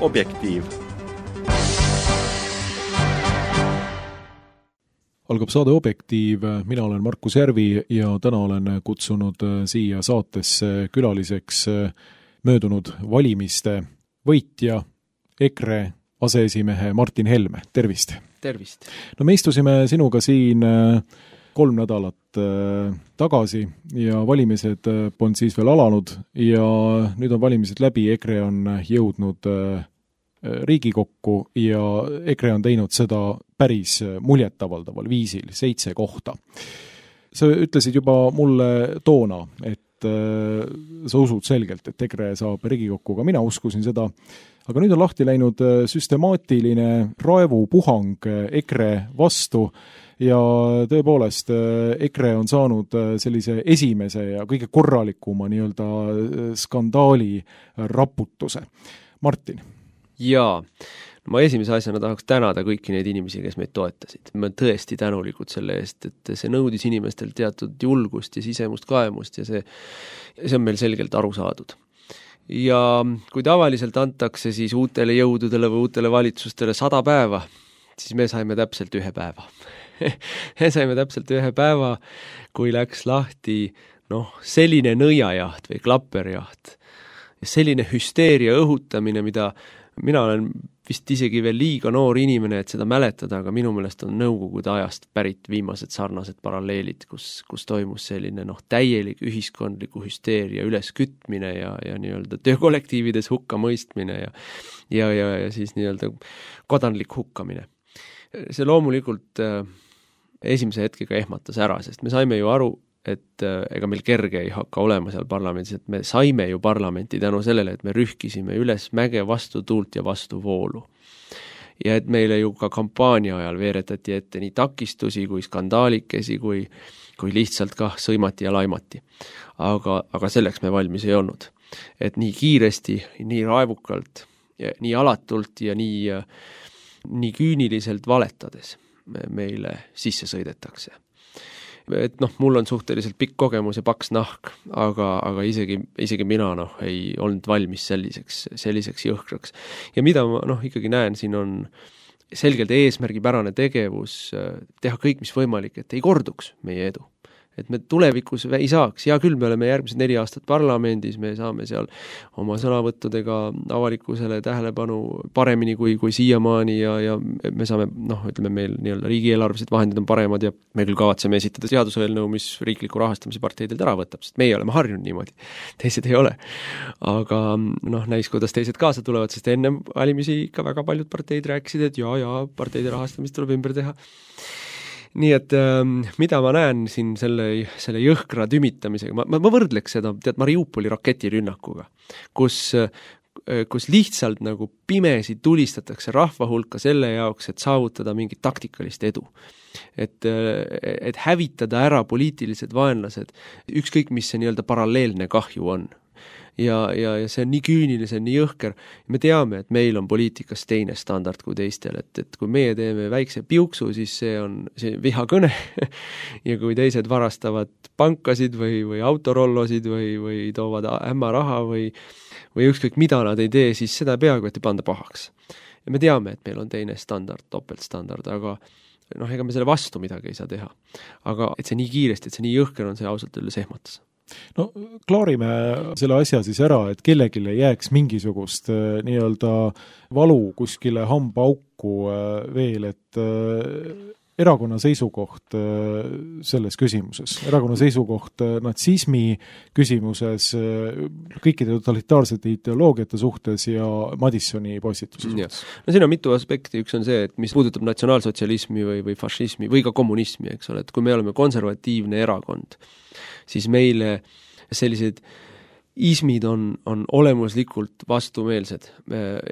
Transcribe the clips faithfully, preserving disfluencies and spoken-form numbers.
Objektiiv. Algab saade Objektiiv, mina olen Markus Järvi ja täna olen kutsunud siia saatesse külaliseks möödunud valimiste võitja EKRE aseesimehe Martin Helme. Tervist! Tervist! No me istusime sinuga siin kolm nädalat tagasi ja valimised on siis veel alanud ja nüüd on valimised läbi, EKRE on jõudnud Riigikokku ja EKRE on teinud seda päris muljetavaldaval viisil, seitse kohta. Sa ütlesid juba mulle toona, et sa usud selgelt, et EKRE saab Riigikokku, ka mina uskusin seda, aga nüüd on lahti läinud süstemaatiline raevupuhang EKRE vastu ja tõepoolest EKRE on saanud sellise esimese ja kõige korralikuma nii-öelda skandaali raputuse. Martin. Jaa, ma esimese asjana tahaks tänada kõiki neid inimesi, kes meid toetasid. Me olen tõesti tänulikud selle eest, et see nõudis inimestel teatud julgust ja sisemust kaemust ja see, see on meil selgelt aru saadud. Ja kui tavaliselt antakse siis uutele jõududele või uutele valitsustele sada päeva, siis me saime täpselt ühe päeva. me saime täpselt ühe päeva, kui läks lahti noh, selline nõiajaht või klapperjaht. Selline hüsteeria õhutamine, mida mina olen vist isegi veel liiga noor inimene, et seda mäletada, aga minu meelest on nõukogude ajast pärit viimased sarnased paralleelid, kus, kus toimus selline noh, täielik ühiskondliku hüsteeria üleskütmine ja, ja nii-öelda töökollektiivides hukka mõistmine ja, ja, ja, ja siis nii-öelda kodanlik hukkamine. See loomulikult äh, esimese hetkega ehmatas ära, sest me saime ju aru, et ega meil kerge ei hakka olema seal parlamendis, et me saime ju parlamenti tänu sellele, et me rühkisime üles mäge vastu tuult ja vastu voolu. Ja et meile ju ka kampaania ajal veeretati ette nii takistusi kui skandaalikesi, kui, kui lihtsalt ka sõimati ja laimati. Aga, aga selleks me valmis ei olnud. Et nii kiiresti, nii raevukalt, ja nii alatult ja nii, nii küüniliselt valetades meile sisse sõidetakse. Et noh, mul on suhteliselt pikk kogemus ja paks nahk, aga, aga isegi, isegi mina noh, ei olnud valmis selliseks, selliseks jõhkraks. Ja mida ma noh, ikkagi näen, siin on selgelt eesmärgipärane tegevus teha kõik, mis võimalik, et ei korduks meie edu. Et me tulevikus ei saaks. Ja küll me oleme järgmised neli aastat parlamendis, me saame seal oma sõnavõttudega avalikkusele tähelepanu paremini kui, kui siiamaani ja, ja me saame, noh, ütleme meil nii-öelda riigieelarvelised vahendid on paremad ja me küll kavatseme esitada seaduseelnõu, mis riikliku rahastamise parteidelt ära võtab, sest meie oleme harjunud niimoodi, teised ei ole. Aga noh, näis, kuidas teised kaasa tulevad, sest enne valimisi ikka väga paljud parteid rääkisid, et jaa, jaa, parteide rahastamist tuleb ümber teha. Nii et äh, mida ma näen siin selle, selle jõhkra tümitamisega, ma, ma võrdleks seda tead Mariupoli raketirünnakuga, kus, kus lihtsalt nagu pimesi tulistatakse rahva hulka selle jaoks, et saavutada mingit taktikalist edu. Et, et hävitada ära poliitilised vaenlased, ükskõik mis see nii-öelda paralleelne kahju on. Ja, ja, ja see on nii küüniline, see on nii jõhker. Me teame, et meil on poliitikas teine standard kui teistel, et, et kui meie teeme väikse piuksu, siis see on see vihakõne ja kui teised varastavad pankasid või, või autorollosid või, või toovad ämma raha või, või ükskõik mida nad ei tee, siis seda peaaegu et ei panda pahaks. Ja me teame, et meil on teine standard, topeltstandard, aga noh, ega me selle vastu midagi ei saa teha. Aga et see nii kiiresti, et see nii jõhker on, see ausalt üles ehmatas. No klaarime selle asja siis ära, et kellegile jääks mingisugust äh, nii-öelda valu kuskile hambauku äh, veel, et äh, erakonna seisukoht äh, selles küsimuses, erakonna seisukoht äh, natsismi küsimuses, äh, kõikide totalitaarsete ideoloogiate suhtes ja Madissoni postituse suhtes. No siin on mitu aspekti, üks on see, et mis puudutab natsionaalsotsialismi või, või fašismi või ka kommunismi, eks ole, et kui me oleme konservatiivne erakond, siis meile sellised ismid on, on olemuslikult vastumeelsed.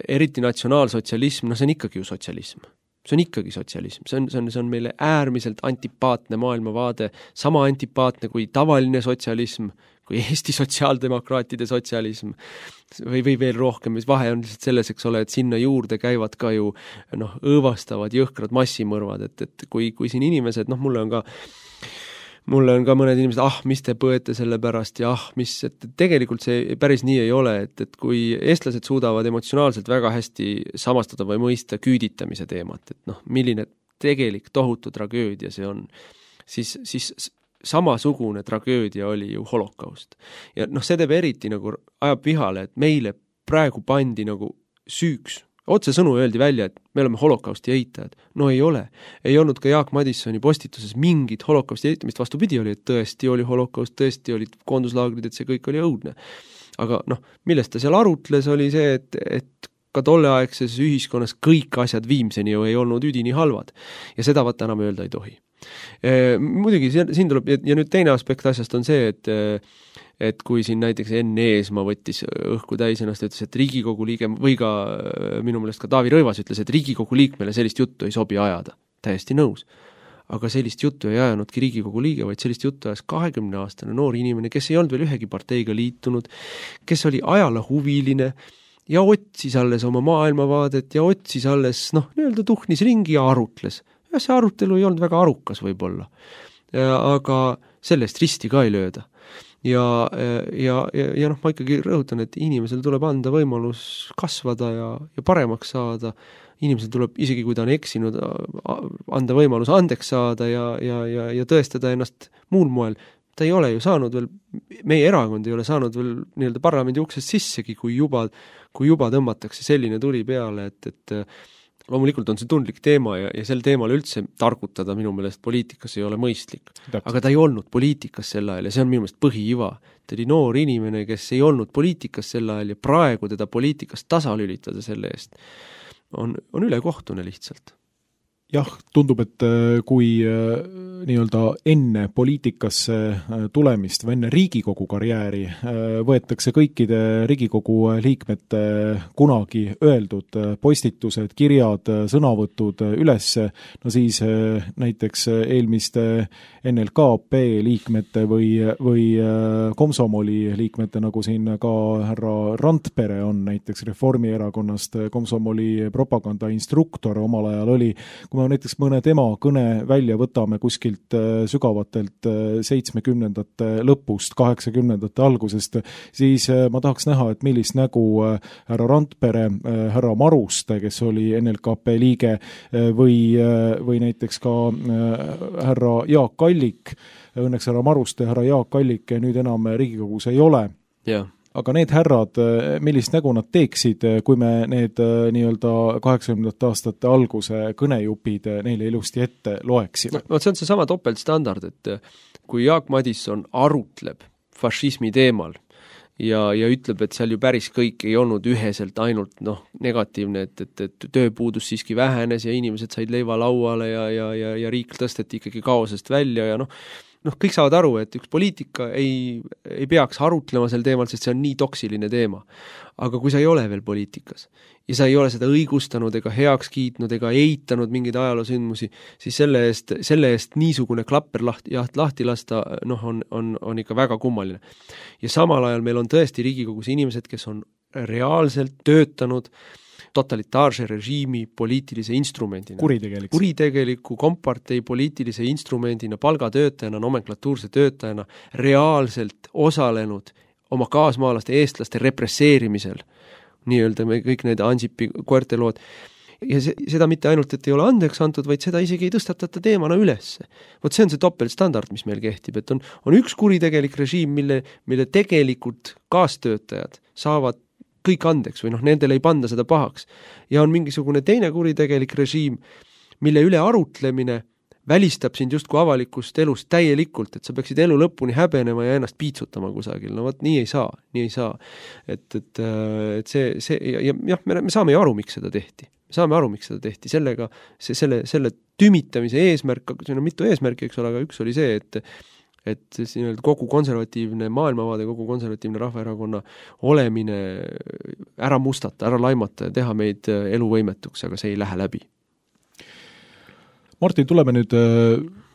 Eriti natsionaalsotsialism, no see on ikkagi ju sotsialism. See on ikkagi sotsialism. See on, see on, see on meile äärmiselt antipaatne maailmavaade, sama antipaatne kui tavaline sotsialism, kui Eesti sotsiaaldemokraatide sotsialism või, või veel rohkem, mis vahe on lihtsalt selles, eks ole, et sinna juurde käivad ka ju noh, õõvastavad jõhkrad massimõrvad, et, et kui, kui siin inimesed, noh mulle on ka mulle on ka mõned inimesed, ah, mis te põete selle pärast ja ah, mis, et tegelikult see päris nii ei ole, et, et kui eestlased suudavad emotsionaalselt väga hästi samastada või mõista küüditamise teemat, et noh, milline tegelik tohutu tragöödia see on, siis, siis samasugune tragöödia oli ju holokaust. Ja noh, see teeb eriti nagu ajab vihale, et meile praegu pandi nagu süüks. Otse sõnu öeldi välja, et me oleme holokausti eitajad. No ei ole. Ei olnud ka Jaak Madissoni postituses mingit holokausti eitamist, vastupidi oli, et tõesti oli holokaust, tõesti olid koonduslaagrid, et see kõik oli õudne. Aga noh, millest ta seal arutles, oli see, et, et ka tolleaegses ühiskonnas kõik asjad viimseni ju ei olnud üdini halvad. Ja seda vaata enam öelda ei tohi. E, muidugi siin tuleb, ja nüüd teine aspekt asjast on see, et et kui siin näiteks Enn Eesmaa võttis õhku täis ennast, ütles, et Riigikogu liige, või ka minu meelest ka Taavi Rõivas ütles, et Riigikogu liikmele sellist juttu ei sobi ajada. Täiesti nõus. Aga sellist juttu ei ajanudki Riigikogu liige, vaid sellist juttu ajas kahekümne aastane noor inimene, kes ei olnud veel ühegi parteiga liitunud, kes oli ajala huviline ja otsis alles oma maailmavaadet ja otsis alles, noh, nii-öelda tuhnis ringi ja arutles. Ja see arutelu ei olnud väga arukas võib-olla. Aga sellest risti ka ei lööda. Ja, ja, ja, ja noh, ma ikkagi rõhutan, et inimesel tuleb anda võimalus kasvada ja, ja paremaks saada. Inimesel tuleb, isegi kui ta on eksinud, anda võimalus andeks saada ja, ja, ja, ja tõestada ennast muul moel. Ta ei ole ju saanud veel, meie erakond ei ole saanud veel nii-öelda parlamendi uksest sissegi, kui juba, kui juba tõmmatakse selline tuli peale, et, et loomulikult on see tundlik teema ja, ja sel teemal üldse targutada minu meelest poliitikas ei ole mõistlik. Täpselt. Aga ta ei olnud poliitikas sel ajal ja see on minu meelest põhiiva. Ta oli noor inimene, kes ei olnud poliitikas sel ajal ja praegu teda poliitikas tasalülitada selle eest on, on ülekohtune lihtsalt. Jah, tundub, et kui nii-öelda enne poliitikasse tulemist või enne Riigikogu karjääri võetakse kõikide Riigikogu liikmete kunagi öeldud postitused, kirjad, sõnavõtud ülesse, no siis näiteks eelmiste N L K P liikmete või, või Komsomoli liikmete, nagu siin ka härra Randpere on näiteks Reformierakonnast, Komsomoli propagandainstruktor omal ajal oli, kui me näiteks mõne tema kõne välja võtame kuskilt sügavatelt seitsmekümnendate lõpust, kaheksakümnendate algusest, siis ma tahaks näha, et millist nägu härra Randpere, härra Maruste, kes oli N L K P liige, või, või näiteks ka härra Jaak Allik, õnneks härra Maruste, härra Jaak Allik nüüd enam Riigikogus ei ole. Jah. Aga need härrad, millist nägu nad teeksid, kui me need nii-öelda kaheksakümnendate aastate alguse kõnejupid neile ilusti ette loeksime? No, see on see sama topeltstandard, et kui Jaak Madisson arutleb fašismi teemal ja, ja ütleb, et seal ju päris kõik ei olnud üheselt ainult noh, negatiivne, et, et, et tööpuudus siiski vähenes ja inimesed said leiva lauale ja, ja, ja, ja riik tõsteti ikkagi kaosest välja ja noh, noh, kõik saavad aru, et üks poliitika ei, ei peaks arutlema sel teemal, sest see on nii toksiline teema. Aga kui sa ei ole veel poliitikas ja sa ei ole seda õigustanud ega heaks kiitnud ega eitanud mingeid ajaloosündmusi, siis selle eest, selle eest niisugune klapper lahti, jaht, lahti lasta noh, on, on, on ikka väga kummaline. Ja samal ajal meil on tõesti Riigikogus inimesed, kes on reaalselt töötanud totalitaarse režiimi poliitilise instrumendina. Kuritegeliku. Kuritegeliku kompartei poliitilise instrumendina, palgatöötajana, nomenklatuurse töötajana reaalselt osalenud oma kaasmaalaste eestlaste represseerimisel. Nii-öelda me kõik need Ansipi koertelood. Ja see, seda mitte ainult, et ei ole andeks antud, vaid seda isegi ei tõstatata teemana ülesse. Vot see on see topeltstandard, mis meil kehtib, et on, on üks kuritegelik režiim, mille, mille tegelikult kaastöötajad saavad kõik andeks või noh, nendele ei panda seda pahaks. Ja on mingisugune teine kuritegelik režiim, mille üle arutlemine välistab sind just kui avalikust elust täielikult, et sa peaksid elu lõpuni häbenema ja ennast piitsutama kusagil. No võt, nii ei saa, nii ei saa. Et, et, et see, see ja, ja jah, me, me saame ju aru, miks seda tehti. Me saame aru, miks seda tehti. Sellega, see, selle, selle tümitamise eesmärk, see on mitu eesmärki, eks ole, aga üks oli see, et et kogu konservatiivne maailmavaade, kogu konservatiivne Rahvaerakonna olemine ära mustata, ära laimata ja teha meid eluvõimetuks, aga see ei lähe läbi. Martin, tuleme nüüd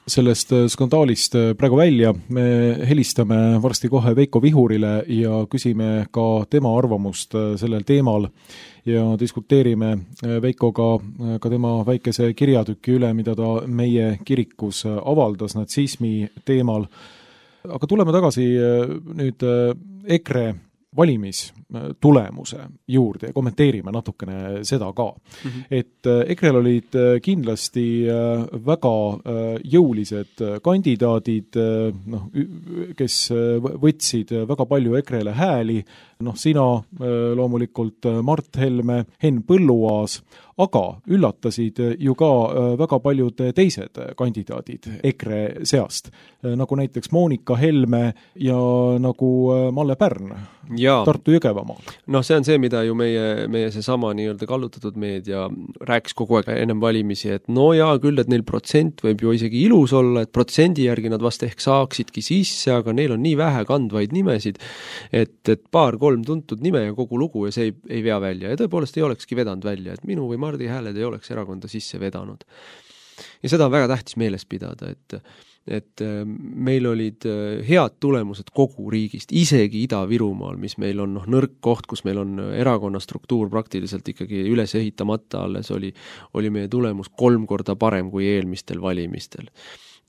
sellest skandaalist praegu välja, me helistame varsti kohe Veiko Vihurile ja küsime ka tema arvamust sellel teemal ja diskuteerime Veikoga ka tema väikese kirjatüki üle, mida ta meie kirikus avaldas natsismi teemal. Aga tuleme tagasi nüüd EKRE valimistulemuse juurde ja kommenteerime natukene seda ka. Mm-hmm. Et EKREl olid kindlasti väga jõulised kandidaadid, noh, kes võtsid väga palju EKREle hääli, noh, sina loomulikult Mart Helme, Henn Põlluaas, aga üllatasid ju ka väga paljud teised kandidaadid EKRE seast, nagu näiteks Moonika Helme ja nagu Malle Pärn ja Tartu Jõgevamaal. Noh, see on see, mida ju meie, meie see sama nii-öelda kallutatud meedia rääkis kogu aeg ennem valimisi, et no jaa, küll, et neil protsent võib ju isegi ilus olla, et protsendi järgi nad vast ehk saaksidki sisse, aga neil on nii vähe kandvaid nimesid, et, et paar-kolm tuntud nime ja kogu lugu ja see ei, ei vea välja. Ja tõepoolest ei olekski vedanud välja, et minu või Mardi hääled ei oleks erakonda sisse vedanud. Ja seda on väga tähtis meeles pidada, et et meil olid head tulemused kogu riigist, isegi Ida-Virumaal, mis meil on noh, nõrk koht, kus meil on erakonna struktuur praktiliselt ikkagi üles ehitamata alles, oli, oli meie tulemus kolm korda parem kui eelmistel valimistel.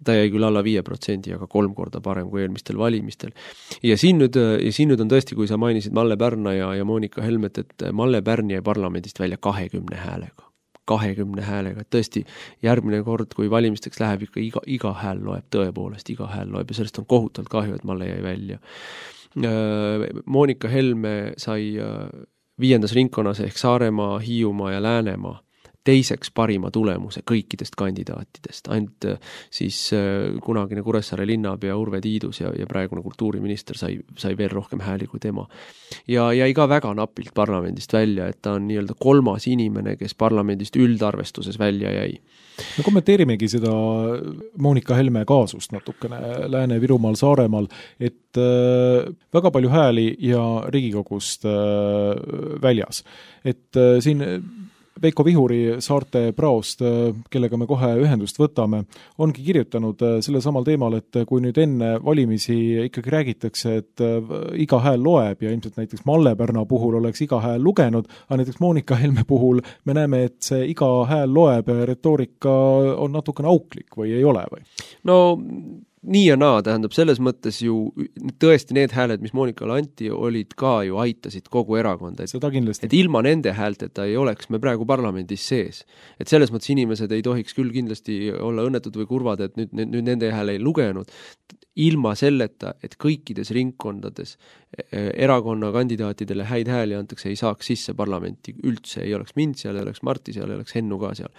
Ta jäi küll alla viie protsendi, aga kolm korda parem kui eelmistel valimistel. Ja siin nüüd, ja siin nüüd on tõesti, kui sa mainisid Malle Pärna ja, ja Moonika Helmet, et Malle Pärn jäi parlamendist välja kahekümne häälega. kahekümne häälega, et tõesti järgmine kord, kui valimisteks läheb ikka iga, iga hääl loeb, tõepoolest iga hääl loeb ja sellest on kohutavalt kahju, et Malle jäi välja. Moonika Helme sai viiendas ringkonnas ehk Saaremaa, Hiiumaa ja Läänemaa teiseks parima tulemuse kõikidest kandidaatidest. Ainult siis kunagine Kuressaare linnapea Urve Tiidus ja, ja praegune kultuuriminister sai, sai veel rohkem hääli kui tema. Ja jäi ka väga napilt parlamendist välja, et ta on nii-öelda kolmas inimene, kes parlamendist üldarvestuses välja jäi. Me kommenteerimegi seda Moonika Helme kaasust natukene Lääne-Virumaal, Saaremaal, et äh, väga palju hääli ja Riigikogust äh, väljas. Et äh, siin Veiko Vihuri Saarte praost, kellega me kohe ühendust võtame, ongi kirjutanud selle samal teemal, et kui nüüd enne valimisi ikkagi räägitakse, et iga hääl loeb ja ilmselt näiteks Malle Pärna puhul oleks iga hääl lugenud, aga näiteks Moonika Helme puhul me näeme, et see iga hääl loeb retoorika on natukene auklik või ei ole või? No nii ja naa, tähendab selles mõttes ju tõesti need hääled, mis Moonikale anti, olid ka ju aitasid kogu erakonda. Et, seda kindlasti. Et ilma nende häälteta ei oleks me praegu parlamendis sees. Et selles mõttes inimesed ei tohiks küll kindlasti olla õnnetud või kurvad, et nüüd, nüüd, nüüd nende hääle ei lugenud. Ilma selleta, et kõikides ringkondades erakonna kandidaatidele häid hääli antakse, ei saaks sisse parlamenti üldse, ei oleks mind seal, ei oleks Marti seal, ei oleks Hennu ka seal.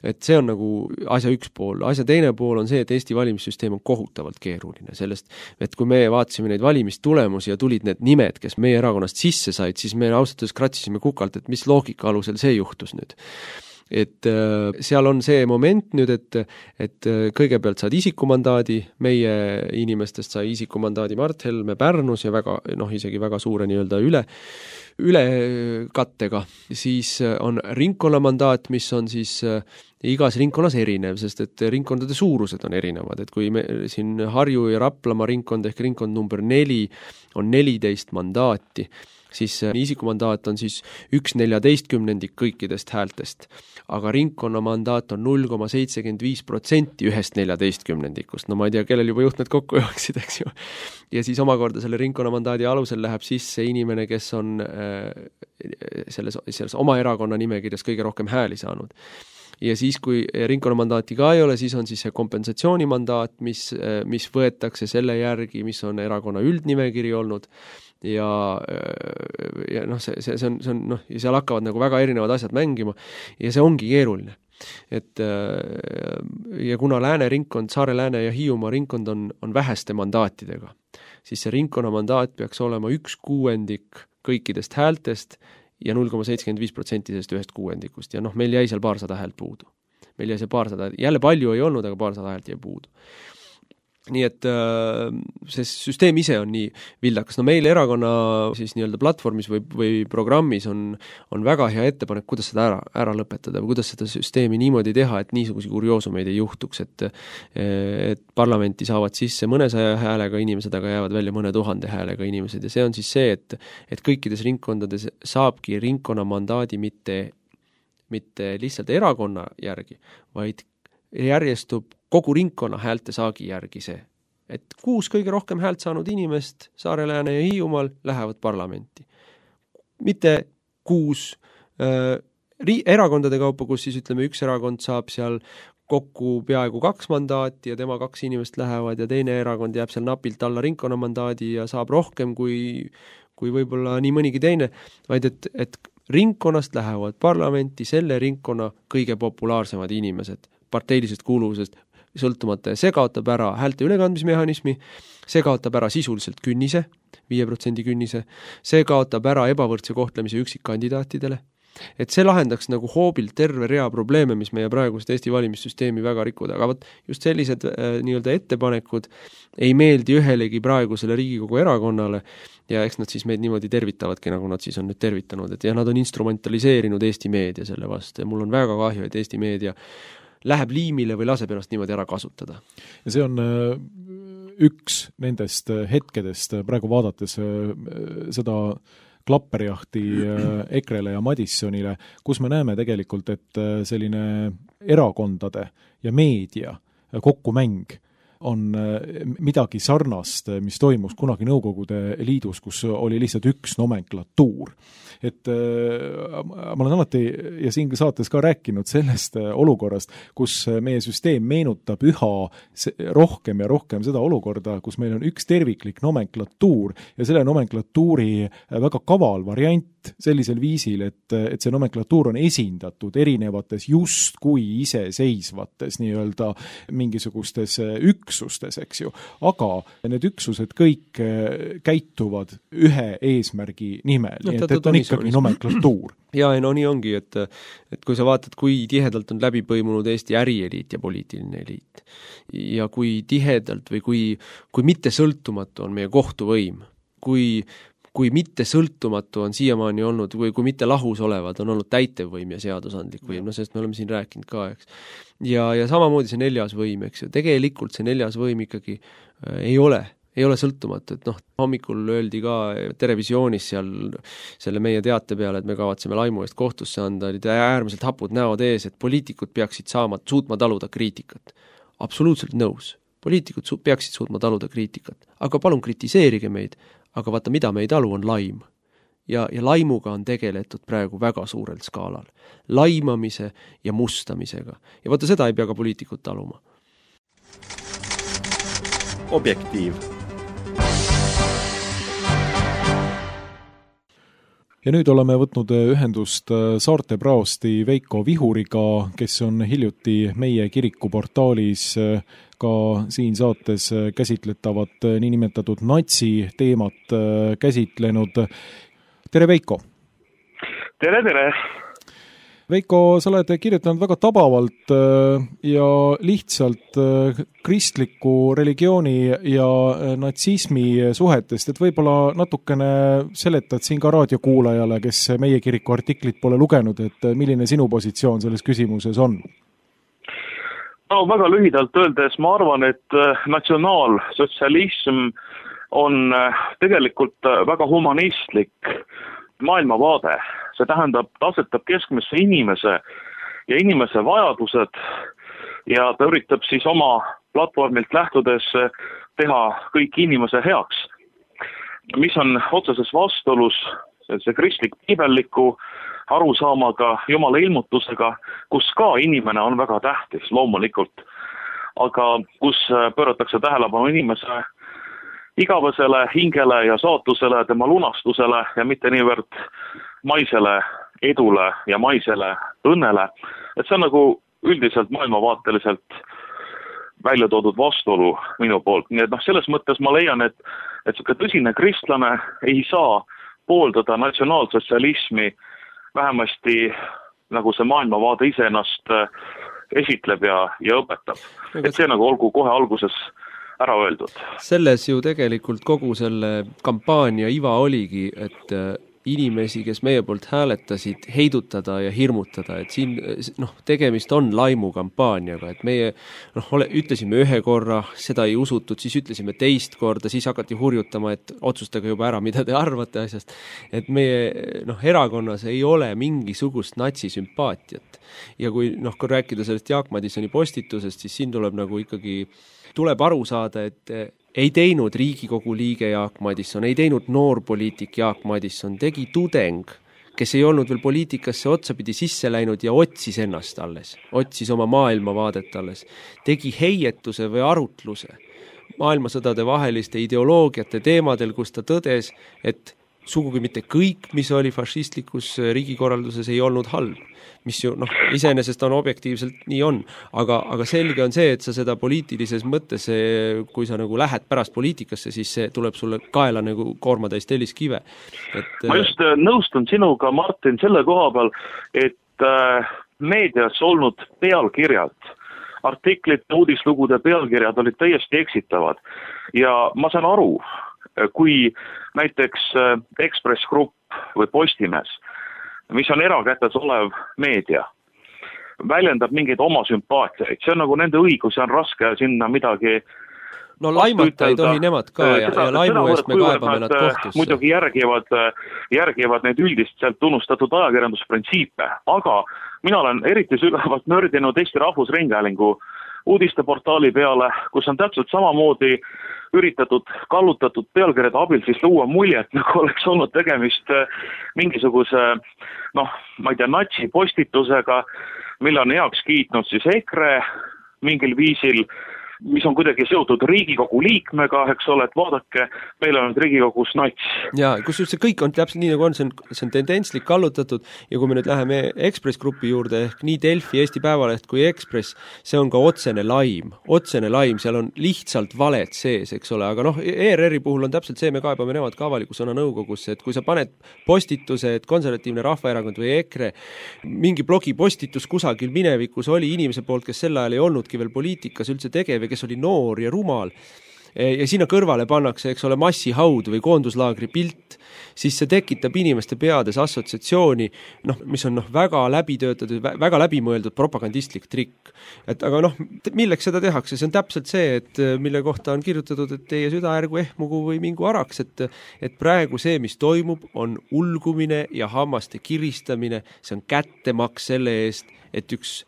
Et see on nagu asja üks pool. Asja teine pool on see, et Eesti valimissüsteem on kohutavalt keeruline. Sellest, et kui me vaatasime neid valimistulemusi ja tulid need nimed, kes meie erakonnast sisse said, siis me ausalt kratsisime kukalt, et mis loogika alusel see juhtus nüüd. Et äh, seal on see moment nüüd, et, et kõigepealt saad isikumandaadi, meie inimestest sai isikumandaadi Mart Helme Pärnus ja väga, noh, isegi väga suure nii-öelda üle, üle kattega. Siis on ringkonnamandaat, mis on siis äh, igas ringkonnas erinev, sest et ringkondade suurused on erinevad, et kui me siin Harju ja Raplamaa ringkond ehk ringkond number neli on neliteist mandaati, siis isikumandaat on siis üks neljateistkümnendik kõikidest häältest, aga ringkonna mandaat on null koma seitsekümmend viis protsenti ühest neljateistkümnendikust. No ma ei tea, kellel juba juhtmed kokku jooksid, eks ju. Ja siis omakorda selle ringkonna mandaadi alusel läheb sisse inimene, kes on äh, selles, selles oma erakonna nimekirjas kõige rohkem hääli saanud. Ja siis, kui ringkonnamandaati ka ei ole, siis on siis see kompensatsioonimandaat, mis, mis võetakse selle järgi, mis on erakonna üldnimekiri olnud. Ja, ja noh, see, see, see on, see on, noh, ja seal hakkavad nagu väga erinevad asjad mängima ja see ongi keeruline. Et ja kuna Lääne ringkond, Saare Lääne ja Hiiumaa ringkond on, on väheste mandaatidega, siis see ringkonna mandaat peaks olema üks kuuendik kõikidest häältest ja null koma seitsekümmend viis protsenti sellest ühest kuuendikust. Ja noh, meil jäi seal paarsada häält puudu. Meil jäi see paarsada, jälle palju ei olnud, aga paarsada häält jäi puudu. nii et see süsteem ise on nii vildakas. No meil erakonna siis nii-öelda platvormis või, või programmis on, on väga hea ettepanek, kuidas seda ära, ära lõpetada või kuidas seda süsteemi niimoodi teha, et niisuguse kurioosumeid ei juhtuks, et, et parlamenti saavad sisse mõnesaja häälega inimesed, aga jäävad välja mõne tuhande häälega inimesed ja see on siis see, et, et kõikides ringkondades saabki ringkonna mandaadi mitte, mitte lihtsalt erakonna järgi, vaid järjestub kogu ringkonna häälte saagi järgi see, et kuus kõige rohkem häält saanud inimest Saare-Lääne ja Hiiumaal lähevad parlamenti. Mitte kuus äh, ri- erakondade kaupa, kus siis ütleme, üks erakond saab seal kokku peaaegu kaks mandaati ja tema kaks inimest lähevad ja teine erakond jääb seal napilt alla ringkonna mandaadi ja saab rohkem kui, kui võib-olla nii mõnigi teine, vaid et, et ringkonnast lähevad parlamenti selle ringkonna kõige populaarsemad inimesed parteilisest kuuluvusest sõltumata ja see kaotab ära häälte ülekandmismehhanismi, see kaotab ära sisuliselt künnise, viie protsendi künnise, see kaotab ära ebavõrdse kohtlemise üksikkandidaatidele, et see lahendaks nagu hoobilt terve rea probleeme, mis meie praegust Eesti valimissüsteemi väga rikuda, aga võt, just sellised äh, nii-öelda ettepanekud ei meeldi ühelegi praegusele Riigikogu erakonnale ja eks nad siis meid niimoodi tervitavadki, nagu nad siis on nüüd tervitanud, et ja nad on instrumentaliseerinud Eesti meedia selle vastu ja mul on väga kahju, et Eesti meedia läheb liimile või laseb ennast niimoodi ära kasutada. Ja see on üks nendest hetkedest praegu vaadates seda klapperjahti Ekrele ja Madissonile, kus me näeme tegelikult, et selline erakondade ja meedia kokkumäng on midagi sarnast, mis toimus kunagi Nõukogude Liidus, kus oli lihtsalt üks nomenklatuur. Et ma olen alati ja siin saates ka rääkinud sellest olukorrast, kus meie süsteem meenutab üha rohkem ja rohkem seda olukorda, kus meil on üks terviklik nomenklatuur ja selle nomenklatuuri väga kaval variant sellisel viisil, et, et see nomenklatuur on esindatud erinevates justkui iseseisvates nii-öelda mingisugustes üksustes, eks ju. Aga need üksused kõik käituvad ühe eesmärgi nimel, no, nii et, et on ikkagi nomenklatuur. Ja, no nii ongi, et, et kui sa vaatad, kui tihedalt on läbi põimunud Eesti ärieliit ja poliitiline eliit ja kui tihedalt või kui, kui mitte sõltumatu on meie kohtuvõim, kui kui mitte sõltumatu on siiamaani olnud, või kui mitte lahus olevad, on olnud täitevvõim ja seadusandlik võim, no sest me oleme siin rääkinud ka, eks. Ja, ja samamoodi see neljas võim, eks ju, tegelikult see neljas võim ikkagi äh, ei ole, ei ole sõltumatu, et noh, hommikul öeldi ka Terevisioonis seal selle meie teate peale, et me kavatseme laimu eest kohtusse anda, olid äärmiselt hapud näod ees, et poliitikud peaksid saama, suutma taluda kriitikat. Absoluutselt nõus. Poliitikud su- peaksid suutma taluda kriitikat, aga palun kritiseerige meid, aga vaata, mida me ei talu, on laim. Ja, ja laimuga on tegeletud praegu väga suurel skaalal. Laimamise ja mustamisega. Ja vaata, seda ei pea ka poliitikud taluma. Objektiiv. Ja nüüd oleme võtnud ühendust Saarte praosti Veiko Vihuriga, kes on hiljuti meie kirikuportaalis ka siin saates käsitletavat niinimetatud natsi teemat käsitlenud. Tere, Veiko! Tere, tere! Veiko, sa oled kirjutanud väga tabavalt ja lihtsalt kristliku religiooni ja natsismi suhetest, et võib-olla natukene seletad siin ka raadiokuulajale, kes meie kiriku artiklit pole lugenud, et milline sinu positsioon selles küsimuses on? No väga lühidalt öeldes ma arvan, et natsionaalsotsialism on tegelikult väga humanistlik maailmavaade. See tähendab, ta asetab keskmesse inimese ja inimese vajadused ja ta üritab siis oma platvormilt lähtudes teha kõik inimese heaks. Mis on otseses vastuolus see kristlik piibelliku arusaamaga, Jumala ilmutusega, kus ka inimene on väga tähtis loomulikult, aga kus pööratakse tähelepanu inimese igavesele hingele ja saatusele, tema lunastusele ja mitte niivõrd maisele edule ja maisele õnnele. Et see on nagu üldiselt maailmavaateliselt välja toodud vastuolu minu poolt. Nii et noh, selles mõttes ma leian, et, et selline tõsine kristlane ei saa pooldada natsionaalsotsialismi vähemasti nagu see maailmavaade ise ennast esitleb ja, ja õpetab. Et see nagu olgu kohe alguses ära öeldud. Selles ju tegelikult kogu selle kampaania iva oligi, et inimesi, kes meie poolt hääletasid, heidutada ja hirmutada, et siin noh, tegemist on laimukampaaniaga, et meie noh, ole, ütlesime ühe korra, seda ei usutud, siis ütlesime teist korda, siis hakati hurjutama, et otsustage juba ära, mida te arvate asjast, et meie noh, erakonnas ei ole mingisugust natsisümpaatiat. Ja kui noh, kui rääkida sellest Jaak Madisoni postitusest, siis siin tuleb nagu ikkagi, tuleb aru saada, et ei teinud Riigikogu liige Jaak Madison, ei teinud noorpoliitik Jaak Madison, tegi tudeng, kes ei olnud veel poliitikasse otsapidi sisse läinud ja otsis ennast alles, otsis oma maailmavaadet alles, tegi heietuse või arutluse maailmasõdade vaheliste ideoloogiate teemadel, kus ta tõdes, et sugugi mitte kõik, mis oli fašistlikus riigikorralduses, ei olnud halb, mis ju noh, iseenesest on objektiivselt nii on, aga, aga selge on see, et sa seda poliitilises mõttes, kui sa nagu lähed pärast poliitikasse, siis see tuleb sulle kaela nagu koormatäis telliskive. Et, ma just nõustun sinuga, Martin, selle koha peal, et äh, meedias olnud pealkirjad, artiklite, uudislugude pealkirjad olid täiesti eksitavad ja ma saan aru, kui näiteks Ekspress Grupp või Postimees, mis on erakätes olev meedia, väljendab mingeid oma sümpaatiaid, see on nagu nende õigus ja on raske sinna midagi no laimata ei tohi nemad ka ja, seda, ja laimu eest me kaebame nad kohtusse. Muidugi järgivad, järgivad need üldist sealt tunnustatud ajakirjandusprintsiipe, aga mina olen eriti sügavalt nördinud Eesti Rahvusringhäälingu uudisteportaali peale, kus on täpselt samamoodi üritatud kallutatud pealkirjade abil siis luua muljet, nagu oleks olnud tegemist mingisuguse, noh, ma ei tea, natsi postitusega, mille on heaks kiitnud siis EKRE mingil viisil, mis on kuidagi seotud Riigikogu liikmega, eks ole, et vaadake, meil on Riigikogus nats. Ja, kus see kõik on täpselt nii, nagu on, see on, see on tendentslik kallutatud ja kui me nüüd läheme Ekspress Grupi juurde, ehk nii Delfi, Eesti Päevaleht kui Ekspress, see on ka otsene laim, otsene laim, seal on lihtsalt valed sees, eks ole, aga noh, E R R-i puhul on täpselt see, me kaebame nemad ka avaliku sõna nõukogusse, et kui sa paned postituse, et Konservatiivne Rahvaerakond või EKRE, mingi blogi postitus kusagil minevikus oli inimese poolt, kes sel ajal ei olnudki veel poliitikas üldse tegev, kes oli noor ja rumal ja sinna kõrvale pannakse, eks ole, massihaud või koonduslaagri pilt, siis see tekitab inimeste peades assotsiatsiooni, noh, mis on noh, väga läbitöötatud, väga läbimõeldud propagandistlik trikk. Et aga noh, milleks seda tehakse? See on täpselt see, et mille kohta on kirjutatud, et teie süda ärgu ehmugu või mingu araks, et, et praegu see, mis toimub, on ulgumine ja hammaste kiristamine, see on kättemaks selle eest, et üks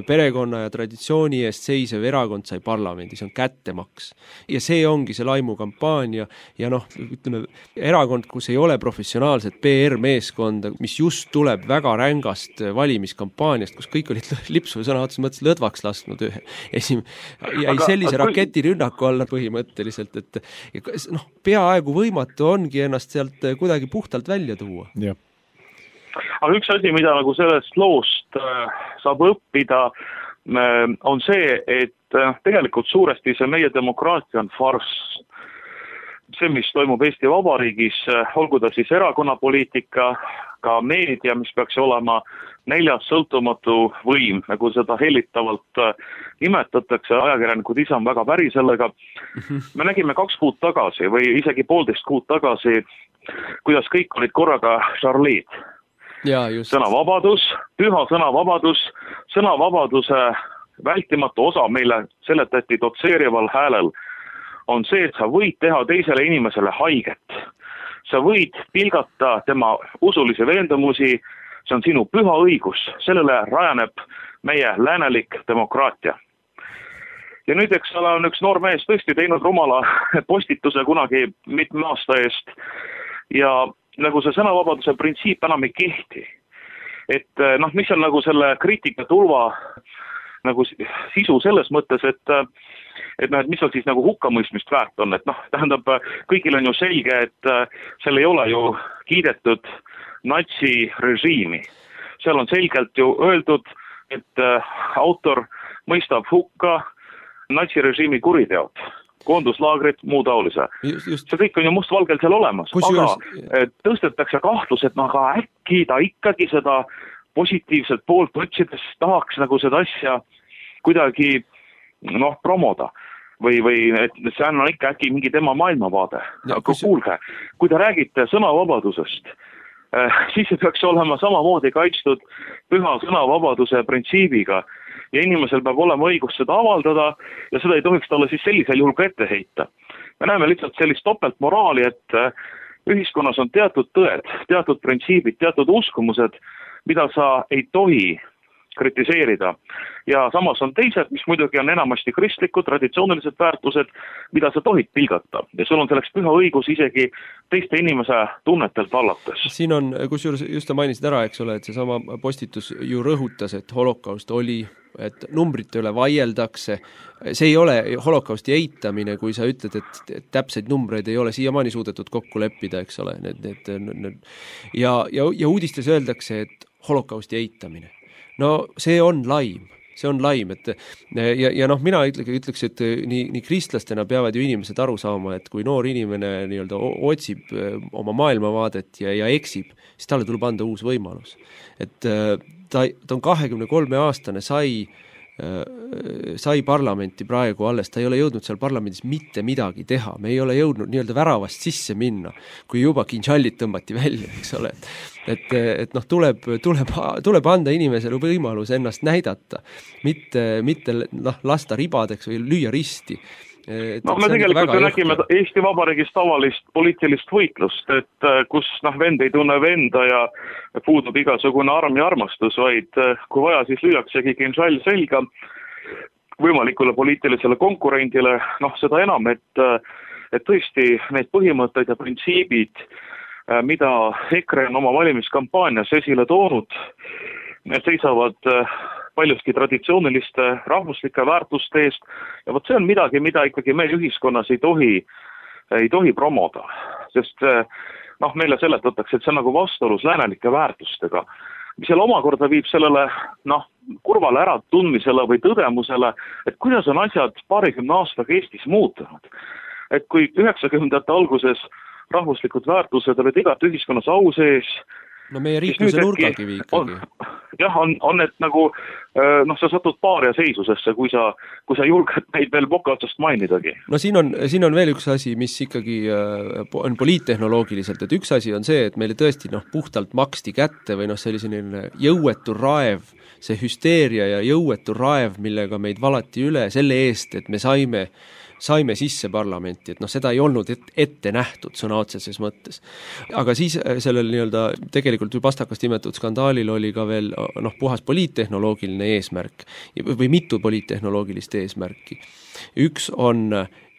perekonna ja traditsiooni eest seisev erakond sai parlamendi, see on kättemaks. Ja see ongi see laimukampaania ja noh, ütleme, erakond, kus ei ole professionaalset P R-meeskonda, mis just tuleb väga rängast valimiskampaaniast, kus kõik olid lipsu või sõna otseses mõttes lõdvaks lasknud ühe esim- jäi sellise aga... raketirünnaku alla põhimõtteliselt, et noh, peaaegu võimatu ongi ennast sealt kuidagi puhtalt välja tuua. Jah. Aga üks asi, mida nagu sellest loost saab õppida, on see, et tegelikult suuresti see meie demokraatia on farss. See, mis toimub Eesti Vabariigis, olgu ta siis erakonnapoliitika, ka meedia, mis peaks olema neljas sõltumatu võim, nagu seda hellitavalt nimetatakse, ajakirjanikud ise on väga päri sellega. Me nägime kaks kuud tagasi või isegi poolteist kuud tagasi, kuidas kõik olid korraga Charlied. Ja, just. Sõnavabadus, püha sõnavabadus, sõnavabaduse vältimatu osa meile seletati dotseerival häälel on see, et sa võid teha teisele inimesele haiget. Sa võid pilgata tema usulisi veendumusi, see on sinu püha õigus, sellele rajaneb meie läänelik demokraatia. Ja nüüd, eks ole, on üks noor mees tõesti teinud rumala postituse kunagi mitme aasta eest ja nagu see sõnavabaduse printsiip enam ei kehti. Et noh, mis on nagu selle kriitika tulva nagu sisu selles mõttes, et, et, noh, et mis on siis nagu hukkamõistmist väärt on, et noh, tähendab, kõigil on ju selge, et seal ei ole ju kiidetud natsirežiimi. Seal on selgelt ju öeldud, et autor mõistab hukka natsirežiimi kuriteod. Koonduslaagrid, muu taolise. Just, just. See kõik on ju mustvalgel seal olemas, Kus aga just... tõstetakse kahtlus, et no aga äkki ta ikkagi seda positiivselt poolt otsides tahaks nagu seda asja kuidagi noh, promoda. või, või et see on ikka äkki mingi tema maailmavaade. Aga kus... kuulge, kui te räägite sõnavabadusest, siis see peaks olema samamoodi kaitstud püha sõnavabaduse printsiibiga ja inimesel peab olema õigus seda avaldada ja seda ei tohiks talle siis sellisel juhul ka ette heita. Me näeme lihtsalt sellist topeltmoraali, et ühiskonnas on teatud tõed, teatud printsiibid, teatud uskumused, mida sa ei tohi kritiseerida. Ja samas on teised, mis muidugi on enamasti kristlikud, traditsioonilised väärtused, mida sa tohid pilgata. Ja sul on selleks püha õigus isegi teiste inimese tunnetelt allates. Siin on, kusjuures just mainisid ära, eks ole, et see sama postitus ju rõhutas, et holokaust oli, et numbrite üle vaieldakse. See ei ole holokausti eitamine, kui sa ütled, et täpseid numbreid ei ole siiamaani suudetud kokku leppida, eks ole. Need, need, need. Ja, ja, ja uudistes öeldakse, et holokausti eitamine. No see on laim, see on laim, et ja, ja noh, mina ütleks, et nii, nii kristlastena peavad ju inimesed aru saama, et kui noor inimene nii-öelda otsib oma maailmavaadet ja, ja eksib, siis talle tuleb anda uus võimalus. Et ta, ta on kahekümne kolme aastane, sai sai parlamenti praegu alles, ta ei ole jõudnud seal parlamendis mitte midagi teha, me ei ole jõudnud nii-öelda väravast sisse minna, kui juba kinšallid tõmbati välja, eks ole. Et, et noh, tuleb, tuleb, tuleb anda inimesele võimalus ennast näidata, mitte, mitte noh, lasta ribadeks või lüüa risti. Et no me tegelikult ju nägime Eesti Vabariigis tavalist poliitilist võitlust, et kus noh, vend ei tunne venda ja puudub igasugune arm ja armastus, vaid kui vaja, siis lüüaksegi kinšall selga võimalikule poliitilisele konkurendile, noh seda enam, et, et tõesti need põhimõtted ja printsiibid, mida EKRE on oma valimiskampaanias esile toonud, need seisavad paljuski traditsiooniliste rahvuslike väärtuste eest ja vot see on midagi, mida ikkagi meil ühiskonnas ei tohi, ei tohi promoda, sest noh, meile seletatakse, et see on nagu vastuolus läänelike väärtustega, mis seal omakorda viib sellele noh, kurvale äratundmisele või tõdemusele, et kuidas on asjad paarikümne aastaga Eestis muutunud. Et kui üheksakümnendate alguses rahvuslikud väärtused olid igat ühiskonnas au sees, no meie riikluse nurgakivi ikkagi. Jah, on, on need nagu, noh, sa satud paaria seisusesse, kui sa, kui sa julged neid veel boka otsast mainidagi. No siin on, siin on veel üks asi, mis ikkagi on poliittehnoloogiliselt, et üks asi on see, et meile tõesti noh, puhtalt maksti kätte või noh, selline jõuetu raev, see hüsteeria ja jõuetu raev, millega meid valati üle selle eest, et me saime saime sisse parlamenti, et noh, seda ei olnud ette nähtud sõna otseses mõttes. Aga siis sellel nii-öelda tegelikult ju pastakast imetatud skandaalil oli ka veel noh, puhas poliittehnoloogiline eesmärk või mitu poliittehnoloogilist eesmärki. Üks on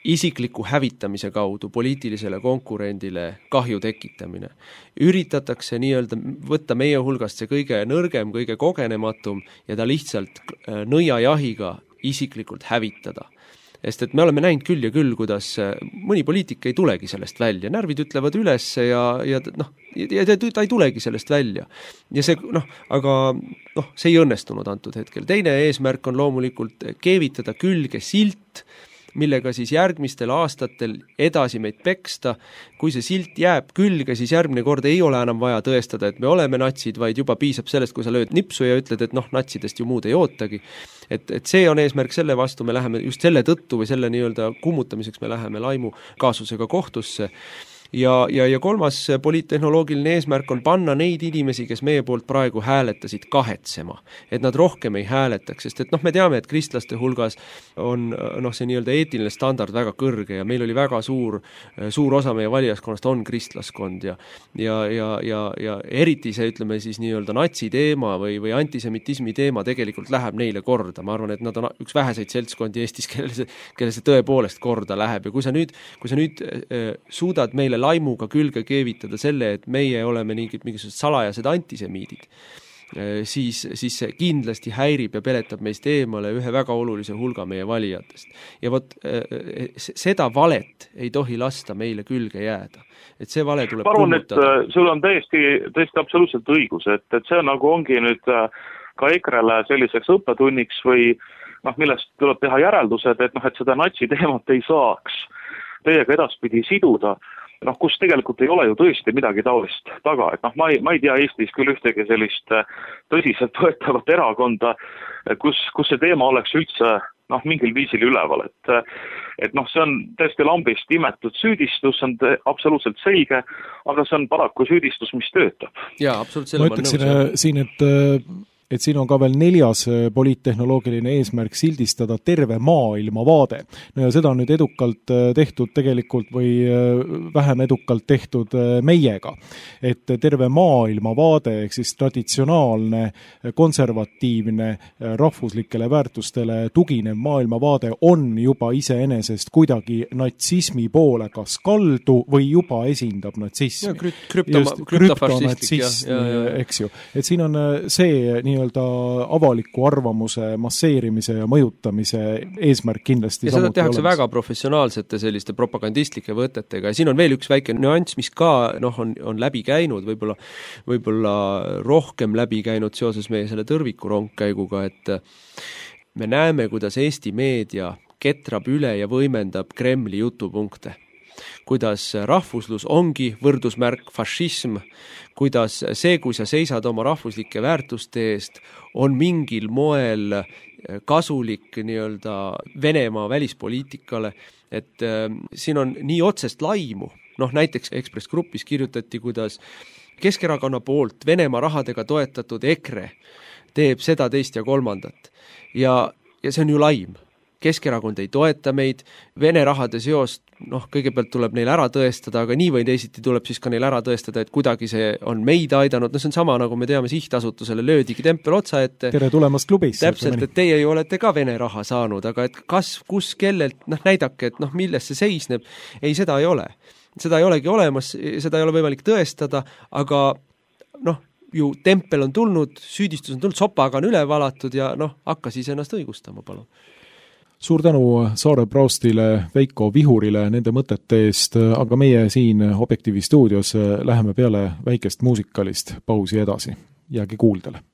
isikliku hävitamise kaudu poliitilisele konkurendile kahju tekitamine. Üritatakse nii-öelda võtta meie hulgast see kõige nõrgem, kõige kogenematum ja ta lihtsalt nõiajahiga isiklikult hävitada. Sest et me oleme näinud küll ja küll, kuidas mõni poliitik ei tulegi sellest välja. Närvid ütlevad üles ja, ja, noh, ja ta ei tulegi sellest välja. Ja see, noh, aga noh, see ei õnnestunud antud hetkel. Teine eesmärk on loomulikult keevitada külge silt, millega siis järgmistel aastatel edasi meid peksta. Kui see silt jääb külge, siis järgmine kord ei ole enam vaja tõestada, et me oleme natsid, vaid juba piisab sellest, kui sa lööd nipsu ja ütled, et noh, natsidest ju muud ei ootagi. Et, et see on eesmärk, selle vastu me läheme just selle tõttu või selle nii-öelda kummutamiseks me läheme laimu kaasusega kohtusse. Ja, ja, ja kolmas poliittehnoloogiline eesmärk on panna neid inimesi, kes meie poolt praegu hääletasid kahetsema, et nad rohkem ei hääletaks, sest et noh, me teame, et kristlaste hulgas on noh, see nii-öelda eetiline standard väga kõrge ja meil oli väga suur, suur osa meie valijaskonnast on kristlaskond ja, ja, ja, ja, ja eriti see, ütleme siis nii-öelda natsi teema või, või antisemitismi teema tegelikult läheb neile korda. Ma arvan, et nad on üks väheseid seltskondi Eestis, kelle see, kelle see tõepoolest korda läheb ja kui sa nüüd, kui sa nüüd äh, suudad meile laimuga külge keevitada selle, et meie oleme mingid, mingisugused salajased antisemiidid, siis, siis see kindlasti häirib ja peletab meist eemale ühe väga olulise hulga meie valijatest. Ja vot seda valet ei tohi lasta meile külge jääda. Et see vale tuleb Parun, kummutada. Et sul on täiesti, täiesti absoluutselt õigus, et, et see nagu ongi nüüd ka EKRE-le selliseks õppetunniks või noh, millest tuleb teha järeldused, et noh, et seda natsi teemat ei saaks teiega edaspidi siduda. Noh, kus tegelikult ei ole ju tõesti midagi taolist taga, et noh, ma ei, ma ei tea Eestis küll ühtegi sellist tõsiselt võetavat erakonda, kus, kus see teema oleks üldse noh, mingil viisil üleval, et et noh, see on tõesti lambist imetud süüdistus, see on te, absoluutselt selge, aga see on paraku süüdistus, mis töötab. Jaa, absoluutselt. Ma ütleksin siin, et et siin on ka veel neljas poliittehnoloogiline eesmärk sildistada terve maailma vaade. No ja seda on nüüd edukalt tehtud tegelikult või vähem edukalt tehtud meiega. Et terve maailma vaade, ehk siis traditsionaalne, konservatiivne, rahvuslikele väärtustele tuginev maailma vaade on juba iseenesest kuidagi natsismi poole kas kaldu või juba esindab natsismi. Ja, krüpt, krüptoma, krüptonatsism, eks ju. Et siin on see nii avaliku arvamuse masseerimise ja mõjutamise eesmärk kindlasti ja seda tehakse olemas. Väga professionaalsete selliste propagandistlike võtetega ja siin on veel üks väike nüanss, mis ka noh, on, on läbi käinud, võib-olla, võib-olla rohkem läbi käinud seoses meie selle tõrviku rongkäiguga, et me näeme, kuidas Eesti meedia ketrab üle ja võimendab Kremli jutupunkte. Kuidas rahvuslus ongi võrdusmärk fašism, kuidas see, kui sa seisad oma rahvuslike väärtuste eest, on mingil moel kasulik nii-öelda Venemaa välispoliitikale, et äh, siin on nii otsest laimu, noh näiteks Ekspress Grupis kirjutati, kuidas Keskerakonna poolt Venemaa rahadega toetatud EKRE teeb seda, teist ja kolmandat ja, ja see on ju laim. Keskerakond ei toeta meid, Vene rahade seost, noh, kõigepealt tuleb neil ära tõestada, aga nii või teisiti tuleb siis ka neil ära tõestada, et kuidagi see on meid aidanud, no see on sama, nagu me teame, sihtasutusele löödigi tempel otsa ette. Tere tulemast klubisse. Täpselt, et teie ju olete ka Vene raha saanud, aga et kas, kus, kellelt, noh, näidake, et noh, milles see seisneb, ei, seda ei ole. Seda ei olegi olemas, seda ei ole võimalik tõestada, aga noh, ju tempel on tulnud, süüdistus on tulnud, sopaga on üle valatud ja noh, hakka siis ennast õigustama, palun. Suur tänu Saare Praustile, Veiko Vihurile nende mõtete eest, aga meie siin Objektiivi stuudios läheme peale väikest muusikalist pausi edasi. Jääge kuuldele.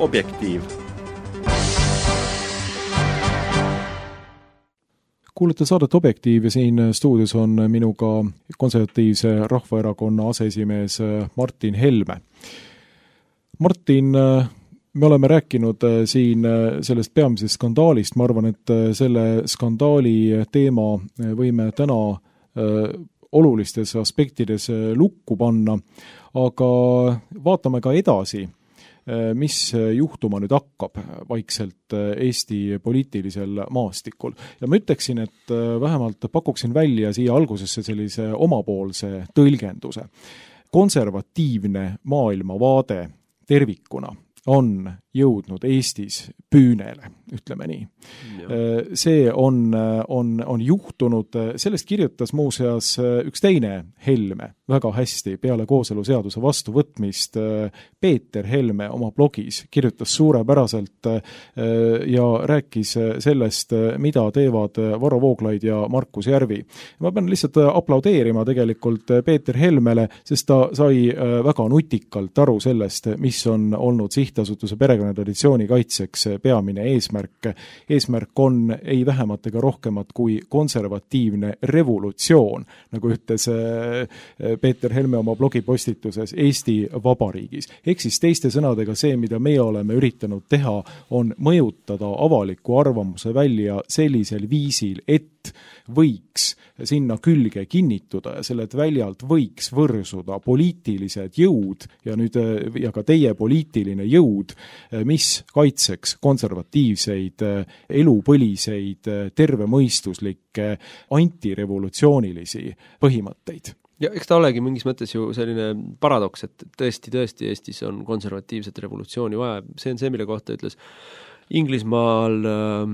Objektiiv. Kuulete saadet Objektiiv ja siin stuudios on minuga konservatiivse Rahvaerakonna aseesimees Martin Helme. Martin, me oleme rääkinud siin sellest peamisest skandaalist, ma arvan, et selle skandaali teema võime täna olulistes aspektides lukku panna, aga vaatame ka edasi, mis juhtuma nüüd hakkab vaikselt Eesti poliitilisel maastikul. Ja ma ütleksin, et vähemalt pakuksin välja siia algusesse sellise omapoolse tõlgenduse. konservatiivne maailmavaade tervikuna on jõudnud Eestis püünele, ütleme nii. See on, on, on juhtunud, sellest kirjutas muuseas üks teine Helme väga hästi peale kooseluseaduse vastuvõtmist. Peeter Helme oma blogis kirjutas suurepäraselt ja rääkis sellest, mida teevad Varro Vooglaid ja Markus Järvi. Ma pean lihtsalt aplaudeerima tegelikult Peeter Helmele, sest ta sai väga nutikalt aru sellest, mis on olnud sihtasutuse perekonnatraditsiooni kaitseks peamine eesmärk. Eesmärk on ei vähemat ega rohkemat kui konservatiivne revolutsioon, nagu ütles Peeter Helme oma blogipostituses Eesti Vabariigis. Ehk siis teiste sõnadega see, mida meie oleme üritanud teha, on mõjutada avaliku arvamuse välja sellisel viisil, et võiks sinna külge kinnituda ja sellelt väljalt võiks võrsuda poliitilised jõud ja nüüd ja ka teie poliitiline jõud, mis kaitseks konservatiivseid, elupõliseid, tervemõistuslikke, antirevolutsioonilisi põhimõtteid. Ja eks ta olegi mingis mõttes ju selline paradoks, et tõesti, tõesti Eestis on konservatiivset revolutsiooni vaja. See on see, mille kohta ütles Inglismaal äh,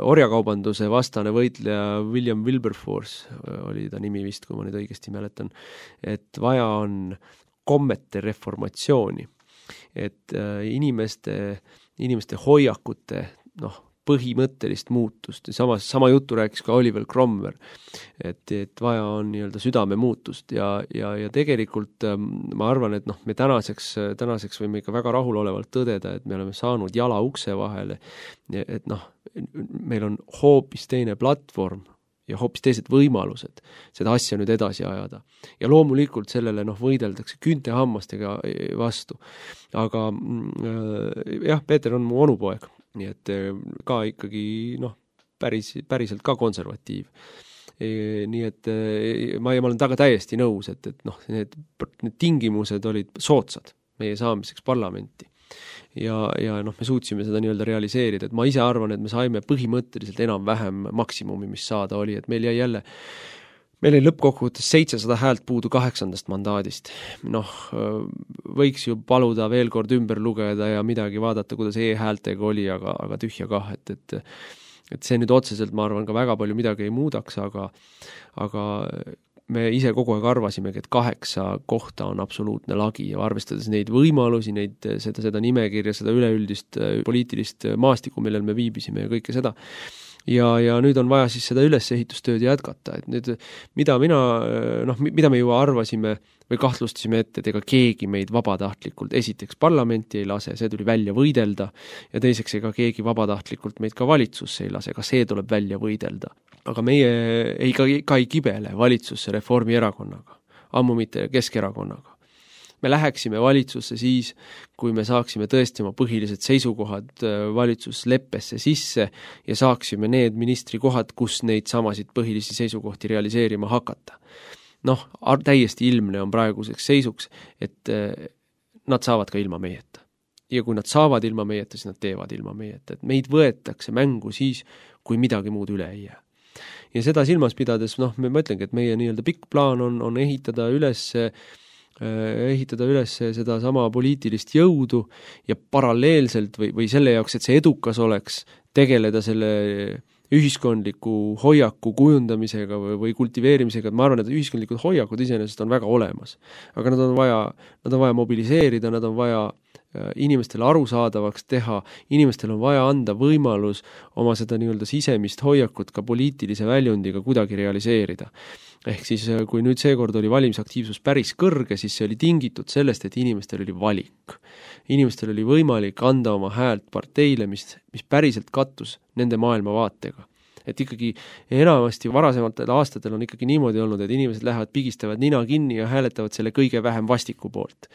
orjakaubanduse vastane võitleja William Wilberforce, oli ta nimi vist, kui ma nüüd õigesti mäletan, et vaja on kommete reformatsiooni, et äh, inimeste, inimeste hoiakute noh, põhimõttelist muutust. Samas, sama juttu rääkis ka Oliver Cromwell, et, et vaja on nii-öelda südame muutust ja, ja, ja tegelikult ma arvan, et noh, me tänaseks, tänaseks võime ikka väga rahulolevalt tõdeda, et me oleme saanud jala ukse vahele, et noh, meil on hoopis teine platvorm ja hoopis teised võimalused seda asja nüüd edasi ajada. Ja loomulikult sellele noh, võideldakse küüntehammastega vastu. Aga jah, Peeter on mu onupoeg. Nii et ka ikkagi noh, päris, päriselt ka konservatiiv. E, nii et ma, ma olen taga täiesti nõus, et, et noh, need, need tingimused olid soodsad meie saamiseks parlamenti. Ja, ja noh, me suutsime seda nii-öelda realiseerida, et ma ise arvan, et me saime põhimõtteliselt enam-vähem maksimumi, mis saada oli, et meil jäi jälle Meil ei lõppkokkuvõttes seitsesada häält puudu kaheksandast mandaadist. Noh, võiks ju paluda veel kord ümber lugeda ja midagi vaadata, kuidas e-häältega oli, aga, aga tühja kah, et, et, et see nüüd otseselt, ma arvan, ka väga palju midagi ei muudaks, aga, aga me ise kogu aeg arvasimegi, et kaheksa kohta on absoluutne lagi ja arvestades neid võimalusi, neid, seda, seda nimekirja, seda üleüldist poliitilist maastikku, millel me viibisime ja kõike seda, Ja, ja nüüd on vaja siis seda ülesehitustööd jätkata, et nüüd mida mina, noh, mida me ju arvasime või kahtlustasime ette, et ega keegi meid vabatahtlikult esiteks parlamenti ei lase, see tuli välja võidelda ja teiseks ega keegi vabatahtlikult meid ka valitsusse ei lase, ka see tuleb välja võidelda. Aga meie ei, ka, ka ei kibele valitsusse Reformierakonnaga, ammu mitte Keskerakonnaga. Me läheksime valitsusse siis, kui me saaksime tõesti oma põhilised seisukohad valitsusleppesse sisse ja saaksime need ministrikohad, kus neid samasid põhilisi seisukohti realiseerima hakata. Noh, täiesti ilmne on praeguseks seisuks, et nad saavad ka ilma meieta. Ja kui nad saavad ilma meieta, siis nad teevad ilma meieta. Et meid võetakse mängu siis, kui midagi muud üle ei jää. Ja seda silmas pidades, noh, me mõtlengi, et meie nii-öelda pikk plaan on, on ehitada üles ehitada üles seda sama poliitilist jõudu ja paralleelselt või, või selle jaoks, et see edukas oleks, tegeleda selle ühiskondliku hoiaku kujundamisega või, või kultiveerimisega, et ma arvan, et ühiskondlikud hoiakud iseenesest on väga olemas. Aga nad on vaja, nad on vaja mobiliseerida, nad on vaja inimestele arusaadavaks teha, inimestel on vaja anda võimalus oma seda nii-öelda sisemist hoiakut ka poliitilise väljundiga kuidagi realiseerida. Ehk siis, kui nüüd seekord oli valimisaktiivsus päris kõrge, siis see oli tingitud sellest, et inimestel oli valik. Inimestel oli võimalik anda oma häält parteile, mis, mis päriselt kattus nende maailmavaatega. Et ikkagi enamasti varasematel aastatel on ikkagi niimoodi olnud, et inimesed lähevad, pigistavad nina kinni ja hääletavad selle kõige vähem vastiku poolt.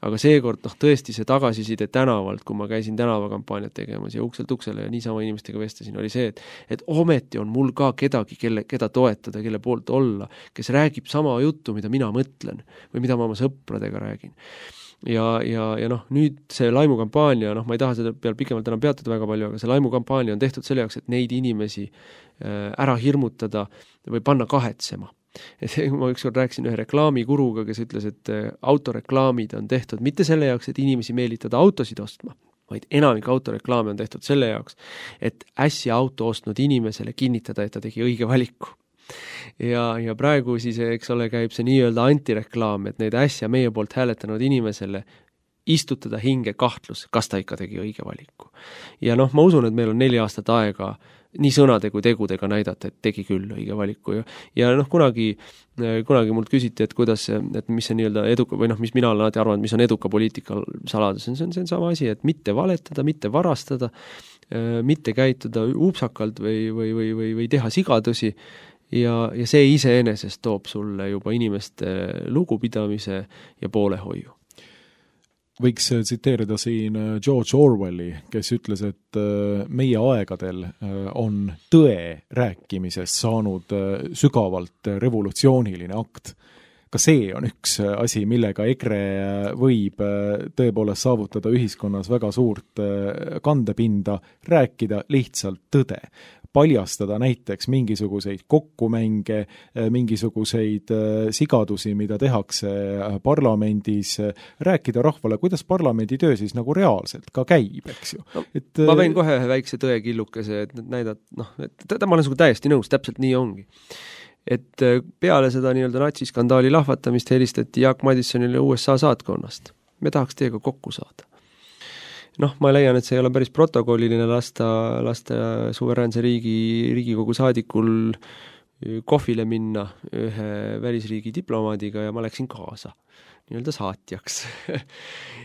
Aga seekord noh, tõesti see tagasiside tänavalt, kui ma käisin tänavakampaaniat tegemas ja ukselt uksele ja niisama inimestega vestasin, oli see, et, et ometi on mul ka kedagi, kelle, keda toetada, kelle poolt olla, kes räägib sama juttu, mida mina mõtlen või mida ma oma sõpradega räägin. Ja, ja, ja noh, nüüd see laimukampaania, noh, ma ei taha seda peal pikemalt enam peatuda väga palju, aga see laimukampaania on tehtud selle jaoks, et neid inimesi ära hirmutada või panna kahetsema. Et ma ükskord rääkisin ühe reklaamikuruga, kes ütles, et autoreklaamid on tehtud mitte selle jaoks, et inimesi meelitada autosid ostma, vaid enamik autoreklaame on tehtud selle jaoks, et äsja auto ostnud inimesele kinnitada, et ta tegi õige valiku. Ja, ja praegu siis, eks ole, käib see nii-öelda antireklaam, et neid äsja meie poolt hääletanud inimesele istutada hinge kahtlus, kas ta ikka tegi õige valiku. Ja noh, ma usun, et meil on neli aastat aega nii sõnade kui tegudega näidata, et tegi küll õige valiku. Ja, ja noh, kunagi, kunagi mult küsiti, et kuidas, et mis see nii-öelda eduka, või noh, mis mina olen alati arvanud, mis on eduka poliitika saladus, see on see sama asi, et mitte valetada, mitte varastada, mitte käituda upsakalt või, või, või, või, või teha sigadusi, ja, ja see iseenesest toob sulle juba inimeste lugupidamise ja poolehoiu. Võiks tsiteerida siin George Orwelli, kes ütles, et meie aegadel on tõe rääkimisest saanud sügavalt revolutsiooniline akt. Ka see on üks asi, millega EKRE võib tõepoolest saavutada ühiskonnas väga suurt kandepinda, rääkida lihtsalt tõde. Paljastada näiteks mingisuguseid kokkumänge, mingisuguseid sigadusi, mida tehakse parlamendis, rääkida rahvale, kuidas parlamendi töö siis nagu reaalselt ka käib, eks ju. No, et, ma võin kohe ühe väikse tõekillukese, et näidata, noh, et ma olen sugu täiesti nõus, täpselt nii ongi. Et peale seda nii-öelda natsiskandaali lahvatamist helistati Jaak Madisonile U S A saatkonnast. Me tahaks teiega kokku saada. Noh, ma leian, et see ei ole päris protokolliline lasta, lasta suveräänse riigi, Riigikogu saadikul kohvile minna ühe välisriigi diplomaadiga ja ma läksin kaasa nii-öelda saatjaks.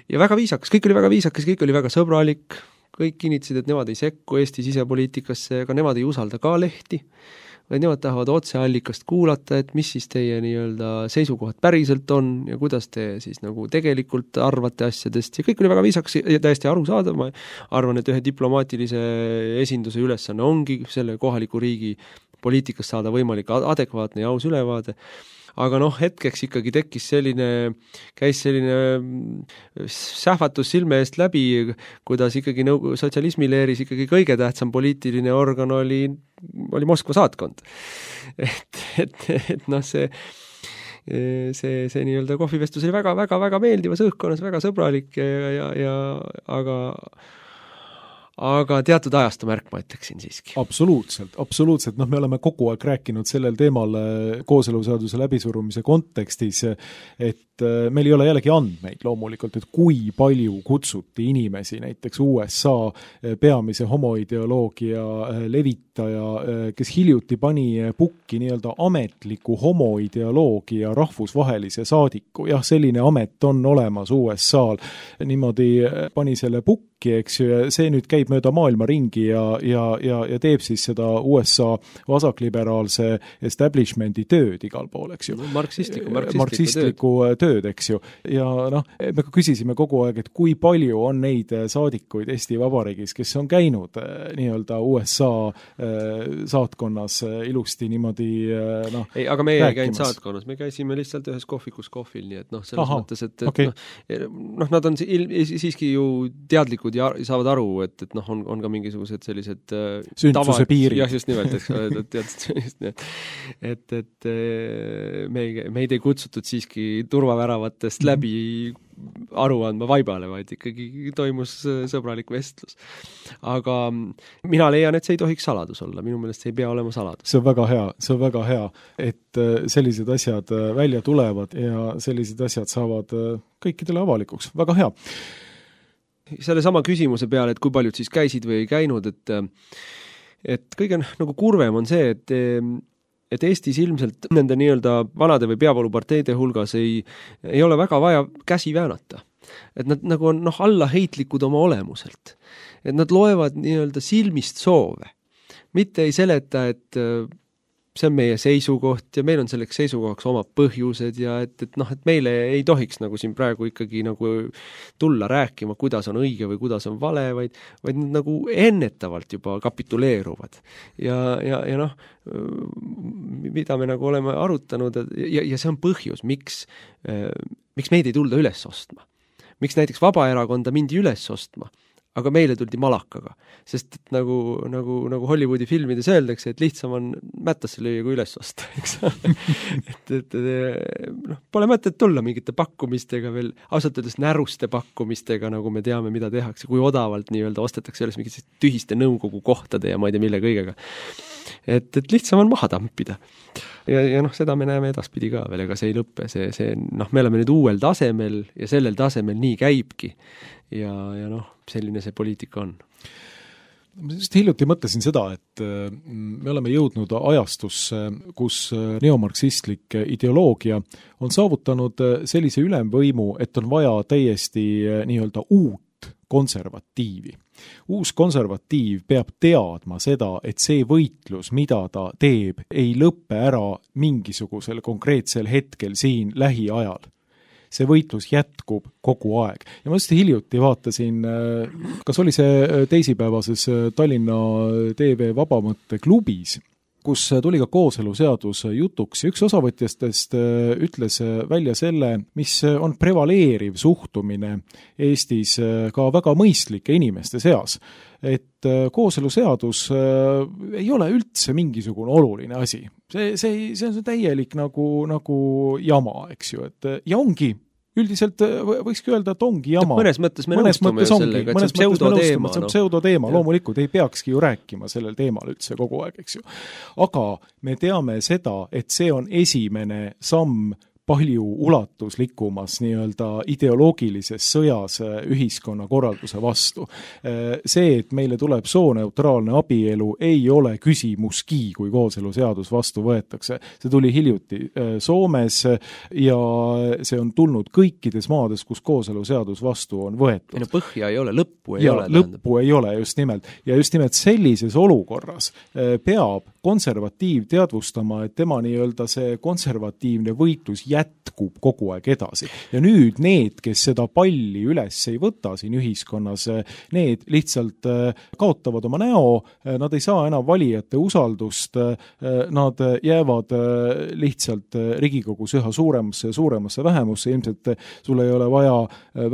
Ja väga viisakas, kõik oli väga viisakas, kõik oli väga sõbralik, kõik kinnitasid, et nemad ei sekku Eesti sisepoliitikasse, aga nemad ei usalda ka lehti, vaid nemad tahavad otseallikast kuulata, et mis siis teie nii-öelda seisukohad päriselt on ja kuidas te siis nagu tegelikult arvate asjadest ja kõik oli väga viisakas ja täiesti arusaadav. Ma arvan, et ühe diplomaatilise esinduse ülesanne ongi selle kohaliku riigi poliitikast saada võimalik adekvaatne ja aus ülevaade. Aga noh, hetkeks ikkagi tekkis selline, käis selline sähvatus silme eest läbi, kuidas ikkagi nõu, sotsialismi leeris ikkagi kõige tähtsam poliitiline organ oli, oli Moskva saatkond. Et, et, et noh, see, see, see nii-öelda kohvivestus oli väga, väga, väga meeldivas õhkkonnas, väga sõbralik ja, ja, ja aga aga teatud ajastu märk, ma ütleksin siiski. Absoluutselt, absoluutselt. Noh, me oleme kogu aeg rääkinud sellel teemal kooseluseaduse läbisurumise kontekstis, et meil ei ole jällegi andmeid loomulikult, et kui palju kutsuti inimesi, näiteks U S A peamise homoideoloogia levitaja, kes hiljuti pani pukki nii-öelda ametliku homoideoloogia rahvusvahelise saadiku. Jah, selline amet on olemas U S A-l. Niimoodi pani selle pukki, eks ju, ja see nüüd käib mööda maailma ringi ja, ja, ja, ja teeb siis seda U S A vasakliberaalse establishmenti tööd igal pool, eks ju. Marksistliku, marksistliku, marksistliku tööd. tööd, eks ju. Ja noh, me küsisime kogu aeg, et kui palju on neid saadikuid Eesti Vabariigis, kes on käinud nii-öelda U S A saatkonnas ilusti niimoodi noh, ei, aga me ei käinud saatkonnas, me käisime lihtsalt ühes kohvikus kohvil, nii et noh, selles Aha, mõttes, et, et okay. noh, noh, nad on siiski ju teadlikud ja saavad aru, et, et noh, on, on ka mingisugused sellised sündsuse piirid. Jah, just nimelt, eks ole, et, et, et, et me ei, meid ei kutsutud siiski turvaväravatest mm-hmm. läbi aru andma vaibale, vaid ikkagi toimus sõbralik vestlus. Aga mina leian, et see ei tohiks saladus olla, minu meelest see ei pea olema saladus. See on väga hea, see on väga hea, et sellised asjad välja tulevad ja sellised asjad saavad kõikidele avalikuks. Väga hea. Selle sama küsimuse peale, et kui paljud siis käisid või ei käinud, et, et kõige nagu kurvem on see, et, et Eestis ilmselt nende nii-öelda vanade või peavooluparteide hulgas ei, ei ole väga vaja käsi väänata. Et nad nagu on noh, allaheitlikud oma olemuselt. Et nad loevad nii-öelda silmist soove. Mitte ei seleta, et see on meie seisukoht ja meil on selleks seisukohaks oma põhjused ja et, et noh, et meile ei tohiks nagu siin praegu ikkagi nagu tulla rääkima, kuidas on õige või kuidas on vale, vaid, vaid nad nagu ennetavalt juba kapituleeruvad. Ja, ja, ja noh, mida me nagu oleme arutanud ja, ja see on põhjus, miks, miks meid ei tulda üles ostma. Miks näiteks Vabaerakonda mindi üles ostma? aga meile tuldi malakaga, sest et nagu, nagu, nagu Hollywoodi filmides öeldakse, et lihtsam on mättasse lüüa kui üles osta, eks et, et, et noh, pole mõtet tulla mingite pakkumistega veel, ausalt öeldes näruste pakkumistega, nagu me teame, mida tehakse, kui odavalt nii-öelda ostetakse üles mingite tühiste nõukogu kohtade ja ma ei tea mille kõigega. Et, et lihtsam on maha tampida. Ja, ja noh, seda me näeme edaspidi ka veel, ega see ei lõppe, see, see, noh, me oleme nüüd uuel tasemel ja sellel tasemel nii käibki ja, ja noh, selline see poliitika on. Ma just hiljuti mõtlesin seda, et me oleme jõudnud ajastusse, kus neomarksistlik ideoloogia on saavutanud sellise ülemvõimu, et on vaja täiesti nii-öelda uut konservatiivi. Uus konservatiiv peab teadma seda, et see võitlus, mida ta teeb, ei lõppe ära mingisugusel konkreetsel hetkel siin lähiajal. See võitlus jätkub kogu aeg. Ja ma just hiljuti vaatasin, kas oli see teisipäevases Tallinna T V Vabamõtte klubis, kus tuli ka kooseluseadus jutuks ja üks osavõtjastest ütles välja selle, mis on prevaleeriv suhtumine Eestis ka väga mõistlike inimeste seas. Et kooseluseadus ei ole üldse mingisugune oluline asi. See, see, see on täielik nagu, nagu jama, eks ju, et ja ongi üldiselt võikski öelda, et ongi jama. Mõnes mõttes me mõnes nõustume mõttes sellega, et see on pseudoteema. See on pseudoteema, no. Loomulikult ei peakski ju rääkima sellel teemal üldse kogu aeg, eks ju. Aga me teame seda, et see on esimene samm palju ulatuslikumas nii-öelda ideoloogilises sõjas ühiskonna korralduse vastu. See, et meile tuleb sooneutraalne abielu, ei ole küsimuski, kui kooseluseadus vastu võetakse. See tuli hiljuti Soomes ja see on tulnud kõikides maades, kus kooseluseadus vastu on võetud. Ja põhja ei ole, lõppu ei ja, ole. Lõppu ei ole, just nimelt. Ja just nimelt sellises olukorras peab konservatiiv teadvustama, et tema nii-öelda see konservatiivne võitlus jätkub kogu aeg edasi. Ja nüüd need, kes seda palli üles ei võta siin ühiskonnas, need lihtsalt kaotavad oma näo, nad ei saa enam valijate usaldust, nad jäävad lihtsalt Riigikogus üha suuremasse ja suuremasse vähemusse, ilmselt sul ei ole vaja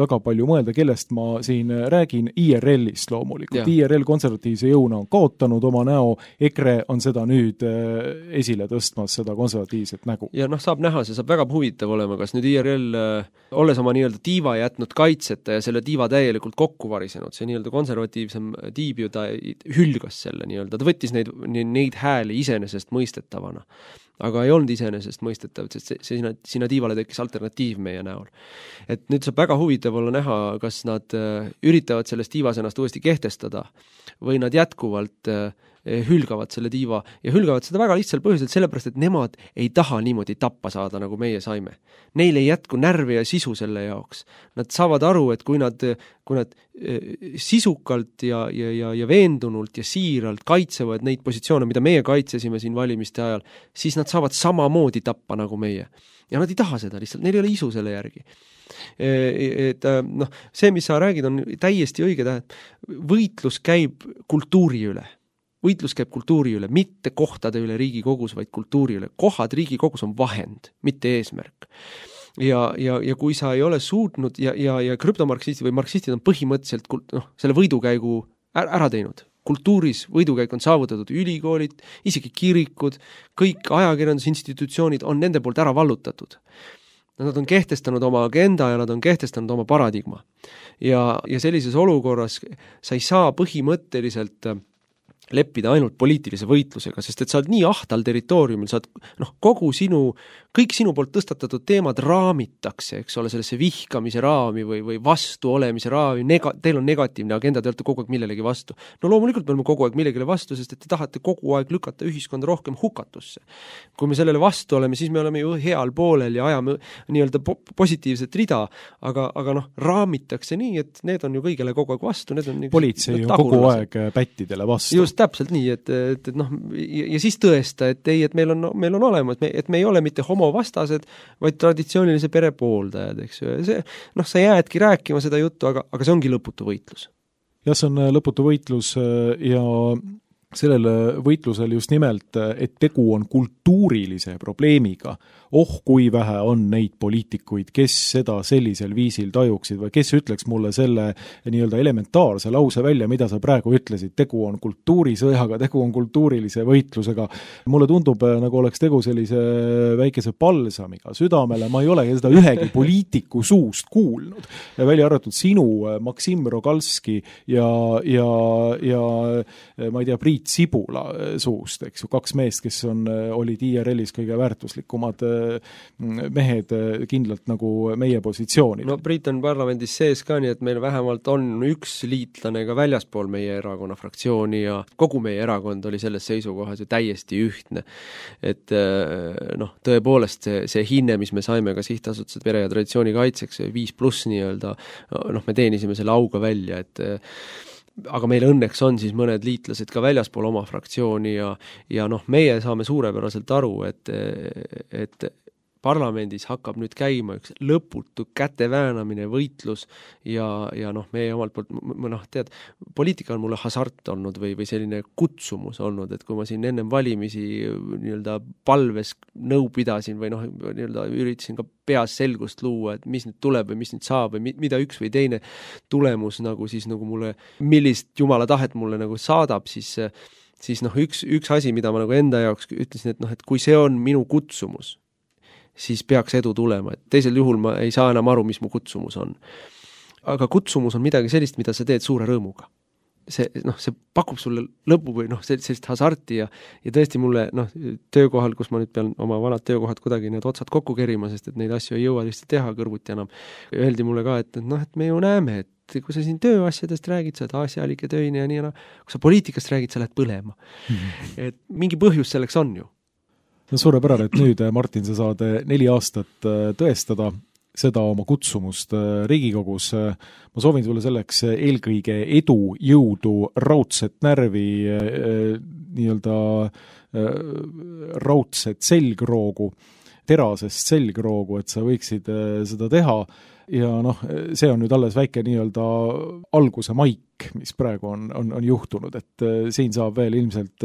väga palju mõelda, kellest ma siin räägin, I R L-ist loomulikult. Ja. I R L konservatiivse jõuna on kaotanud oma näo, EKRE on seda nüüd esile tõstmas, seda konservatiivset nägu. Ja noh, saab näha, see saab väga huvitav olema, kas nüüd I R L, olles oma nii-öelda tiiva jätnud kaitseta ja selle tiiva täielikult kokku varisenud, see nii-öelda konservatiivsem tiib ju ta hülgas selle nii-öelda, ta võttis neid, neid hääli iseenesest mõistetavana. Aga ei olnud iseenesest mõistetav, sest see, see, sinna, sinna tiivale tekkis alternatiiv meie näol. Et nüüd saab väga huvitav olla näha, kas nad üritavad sellest tiivas ennast uuesti kehtestada või nad jätkuvalt hülgavad selle tiiva ja hülgavad seda väga lihtsal põhjusel, sellepärast, et nemad ei taha niimoodi tappa saada, nagu meie saime. Neil ei jätku närvi ja sisu selle jaoks. Nad saavad aru, et kui nad, kui nad sisukalt ja, ja, ja, ja veendunult ja siiralt kaitsevad neid positsioone, mida meie kaitsesime siin valimiste ajal, siis nad saavad samamoodi tappa nagu meie. Ja nad ei taha seda lihtsalt, neil ei ole isu selle järgi. Et noh, see, mis sa räägid, on täiesti õige tähed. Võitlus käib kultuuri üle. Võitlus käib kultuuri üle, mitte kohtade üle Riigikogus, vaid kultuuri üle. Kohad Riigikogus on vahend, mitte eesmärk. Ja, ja, ja kui sa ei ole suutnud ja, ja, ja krüptomarksistid või marksistid on põhimõtteliselt noh, selle võidukäigu ära teinud. Kultuuris võidukäik on saavutatud ülikoolid, isegi kirikud, kõik ajakirjandusinstitutsioonid on nende poolt ära vallutatud. Nad on kehtestanud oma agenda ja nad on kehtestanud oma paradigma. Ja, ja sellises olukorras sa ei saa põhimõtteliselt leppida ainult poliitilise võitlusega, sest et sa oled nii ahtal territooriumil, sa oled, noh, kogu sinu, kõik sinu poolt tõstatatud teemad raamitakse, eks ole, sellesse vihkamise raami või, või vastu olemise raami, nega, teil on negatiivne agenda, te olete kogu aeg millelegi vastu. No loomulikult me oleme kogu aeg millegile vastu, sest et te tahate kogu aeg lükata ühiskonda rohkem hukatusse. Kui me sellele vastu oleme, siis me oleme ju heal poolel ja ajame nii-öelda po- positiivset rida, aga, aga noh, raamitakse nii, et need on ju kõigele kogu aeg vastu. Need on politsei ju kogu aeg pättidele vastu. Just täpselt nii, et, et, et noh, ja, ja siis tõesta, et ei, et meil on, meil on olemas, et me, et me ei ole mitte homovastased, vaid traditsioonilise pere pooldajad, eks ju. See, noh, sa jäädki rääkima seda juttu, aga, aga see ongi lõputu võitlus. Ja see on lõputu võitlus ja sellel võitlusel just nimelt, et tegu on kultuurilise probleemiga, oh kui vähe on neid poliitikuid, kes seda sellisel viisil tajuksid või kes ütleks mulle selle nii-öelda elementaarse lause välja, mida sa praegu ütlesid, tegu on kultuurisõjaga, tegu on kultuurilise võitlusega. Mulle tundub, nagu oleks tegu sellise väikese palsamiga südamele, ma ei ole seda ühegi poliitiku suust kuulnud, välja arvatud sinu, Maksim Rogalski ja, ja, ja ma ei tea, Priit Sibula suust, eks ju, kaks meest, kes on, olid I R L-is kõige väärtuslikumad mehed kindlalt nagu meie positsioonid. No Priit on parlamendis sees ka, nii et meil vähemalt on üks liitlane ka väljaspool meie erakonna fraktsiooni ja kogu meie erakond oli selles seisukohas ju täiesti ühtne. Et noh, tõepoolest see, see hinne, mis me saime ka sihtasutused pere ja traditsiooni kaitseks, viis pluss nii-öelda, noh, me teenisime selle auga välja, et aga meil õnneks on siis mõned liitlased ka väljaspool oma fraktsiooni ja, ja noh, meie saame suurepäraselt aru, et, et parlamendis hakkab nüüd käima üks lõputu käteväänamine, võitlus ja, ja noh, meie omalt poolt, noh, tead, poliitika on mulle hasart olnud või, või selline kutsumus olnud, et kui ma siin ennem valimisi nii-öelda palves nõu pidasin või noh, nii-öelda üritasin ka peas selgust luua, et mis nüüd tuleb või mis nüüd saab või mida üks või teine tulemus nagu siis nagu mulle, millist jumala tahet mulle nagu saadab, siis siis noh, üks, üks asi, mida ma nagu enda jaoks ütlesin, et noh, et kui see on minu kutsumus, siis peaks edu tulema, et teisel juhul ma ei saa enam aru, mis mu kutsumus on. Aga kutsumus on midagi sellist, mida sa teed suure rõõmuga. See, noh, see pakub sulle lõpu või noh, sellist hasarti ja, ja tõesti mulle noh, töökohal, kus ma nüüd pean oma vanad töökohad kuidagi need otsad kokku kerima, sest et neid asju ei jõua lihtsalt teha kõrvuti enam. Öeldi mulle ka, et noh, et me ju näeme, et kui sa siin tööasjadest räägid, sa oled asjalik ja töine ja nii, no, kui sa poliitikast räägid, sa lähed põlema. Mm-hmm. Et mingi põhjus selleks on ju. No suurepärane, et nüüd, Martin, sa saad neli aastat tõestada seda oma kutsumust Riigikogus. Ma soovin sulle selleks eelkõige edu, jõudu, raudset närvi, nii-öelda raudset selgroogu, terasest selgroogu, et sa võiksid seda teha. Ja noh, see on nüüd alles väike nii-öelda alguse maik, mis praegu on, on, on juhtunud, et siin saab veel ilmselt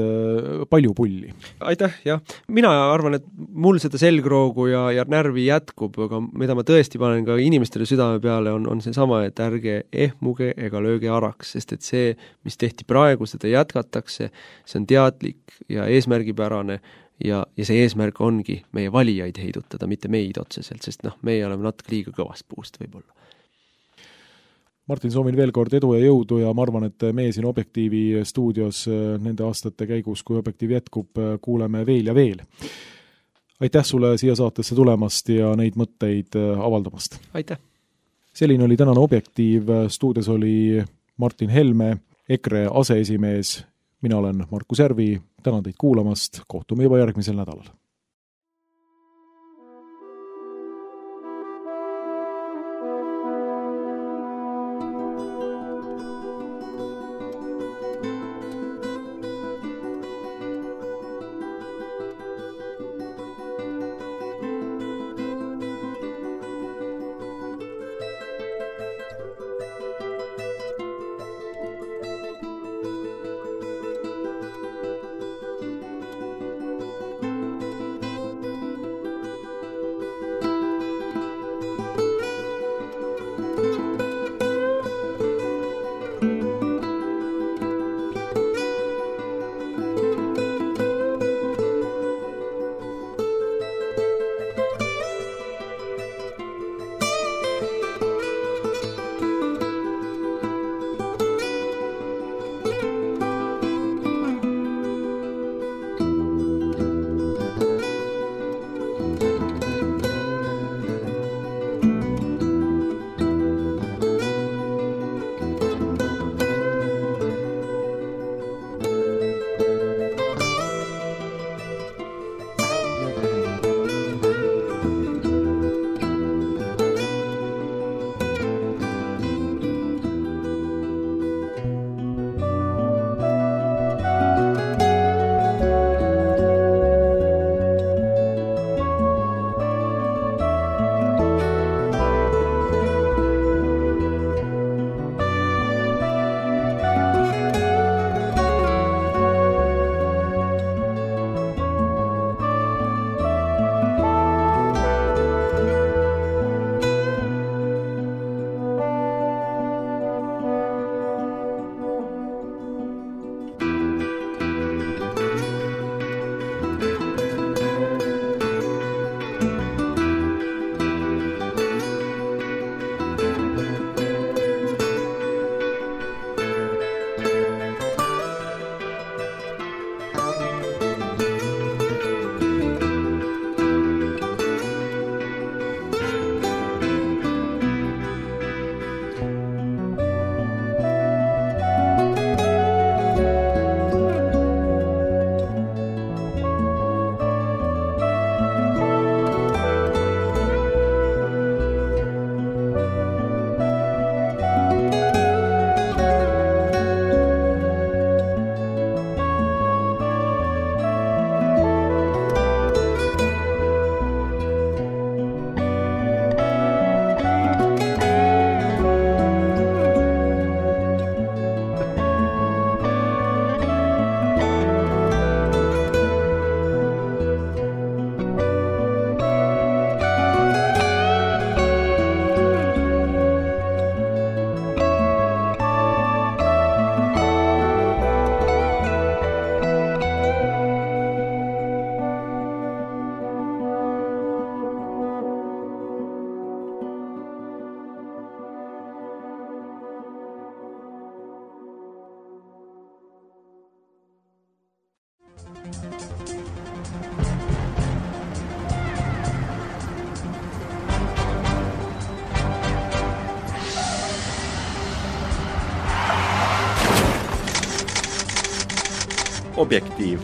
palju pulli. Aitäh, jah. Mina arvan, et mul seda selgroogu ja, ja närvi jätkub, aga mida ma tõesti panen ka inimestele südame peale, on, on see sama, et ärge ehmuge ega lööge araks, sest et see, mis tehti praegu, seda jätkatakse, see on teadlik ja eesmärgipärane, ja, ja see eesmärk ongi meie valijaid heidutada, mitte meid otseselt, sest noh, meie oleme natuke liiga kõvast puust võib-olla. Martin, soovin veel kord edu ja jõudu ja ma arvan, et meie siin Objektiivi stuudios nende aastate käigus, kui Objektiiv jätkub, kuuleme veel ja veel. Aitäh sulle siia saatesse tulemast ja neid mõtteid avaldamast. Aitäh! Selline oli tänane Objektiiv, stuudios oli Martin Helme, EKRE aseesimees. Mina olen Markus Järvi, tänan teid kuulamast, kohtume juba järgmisel nädalal. Objektiiv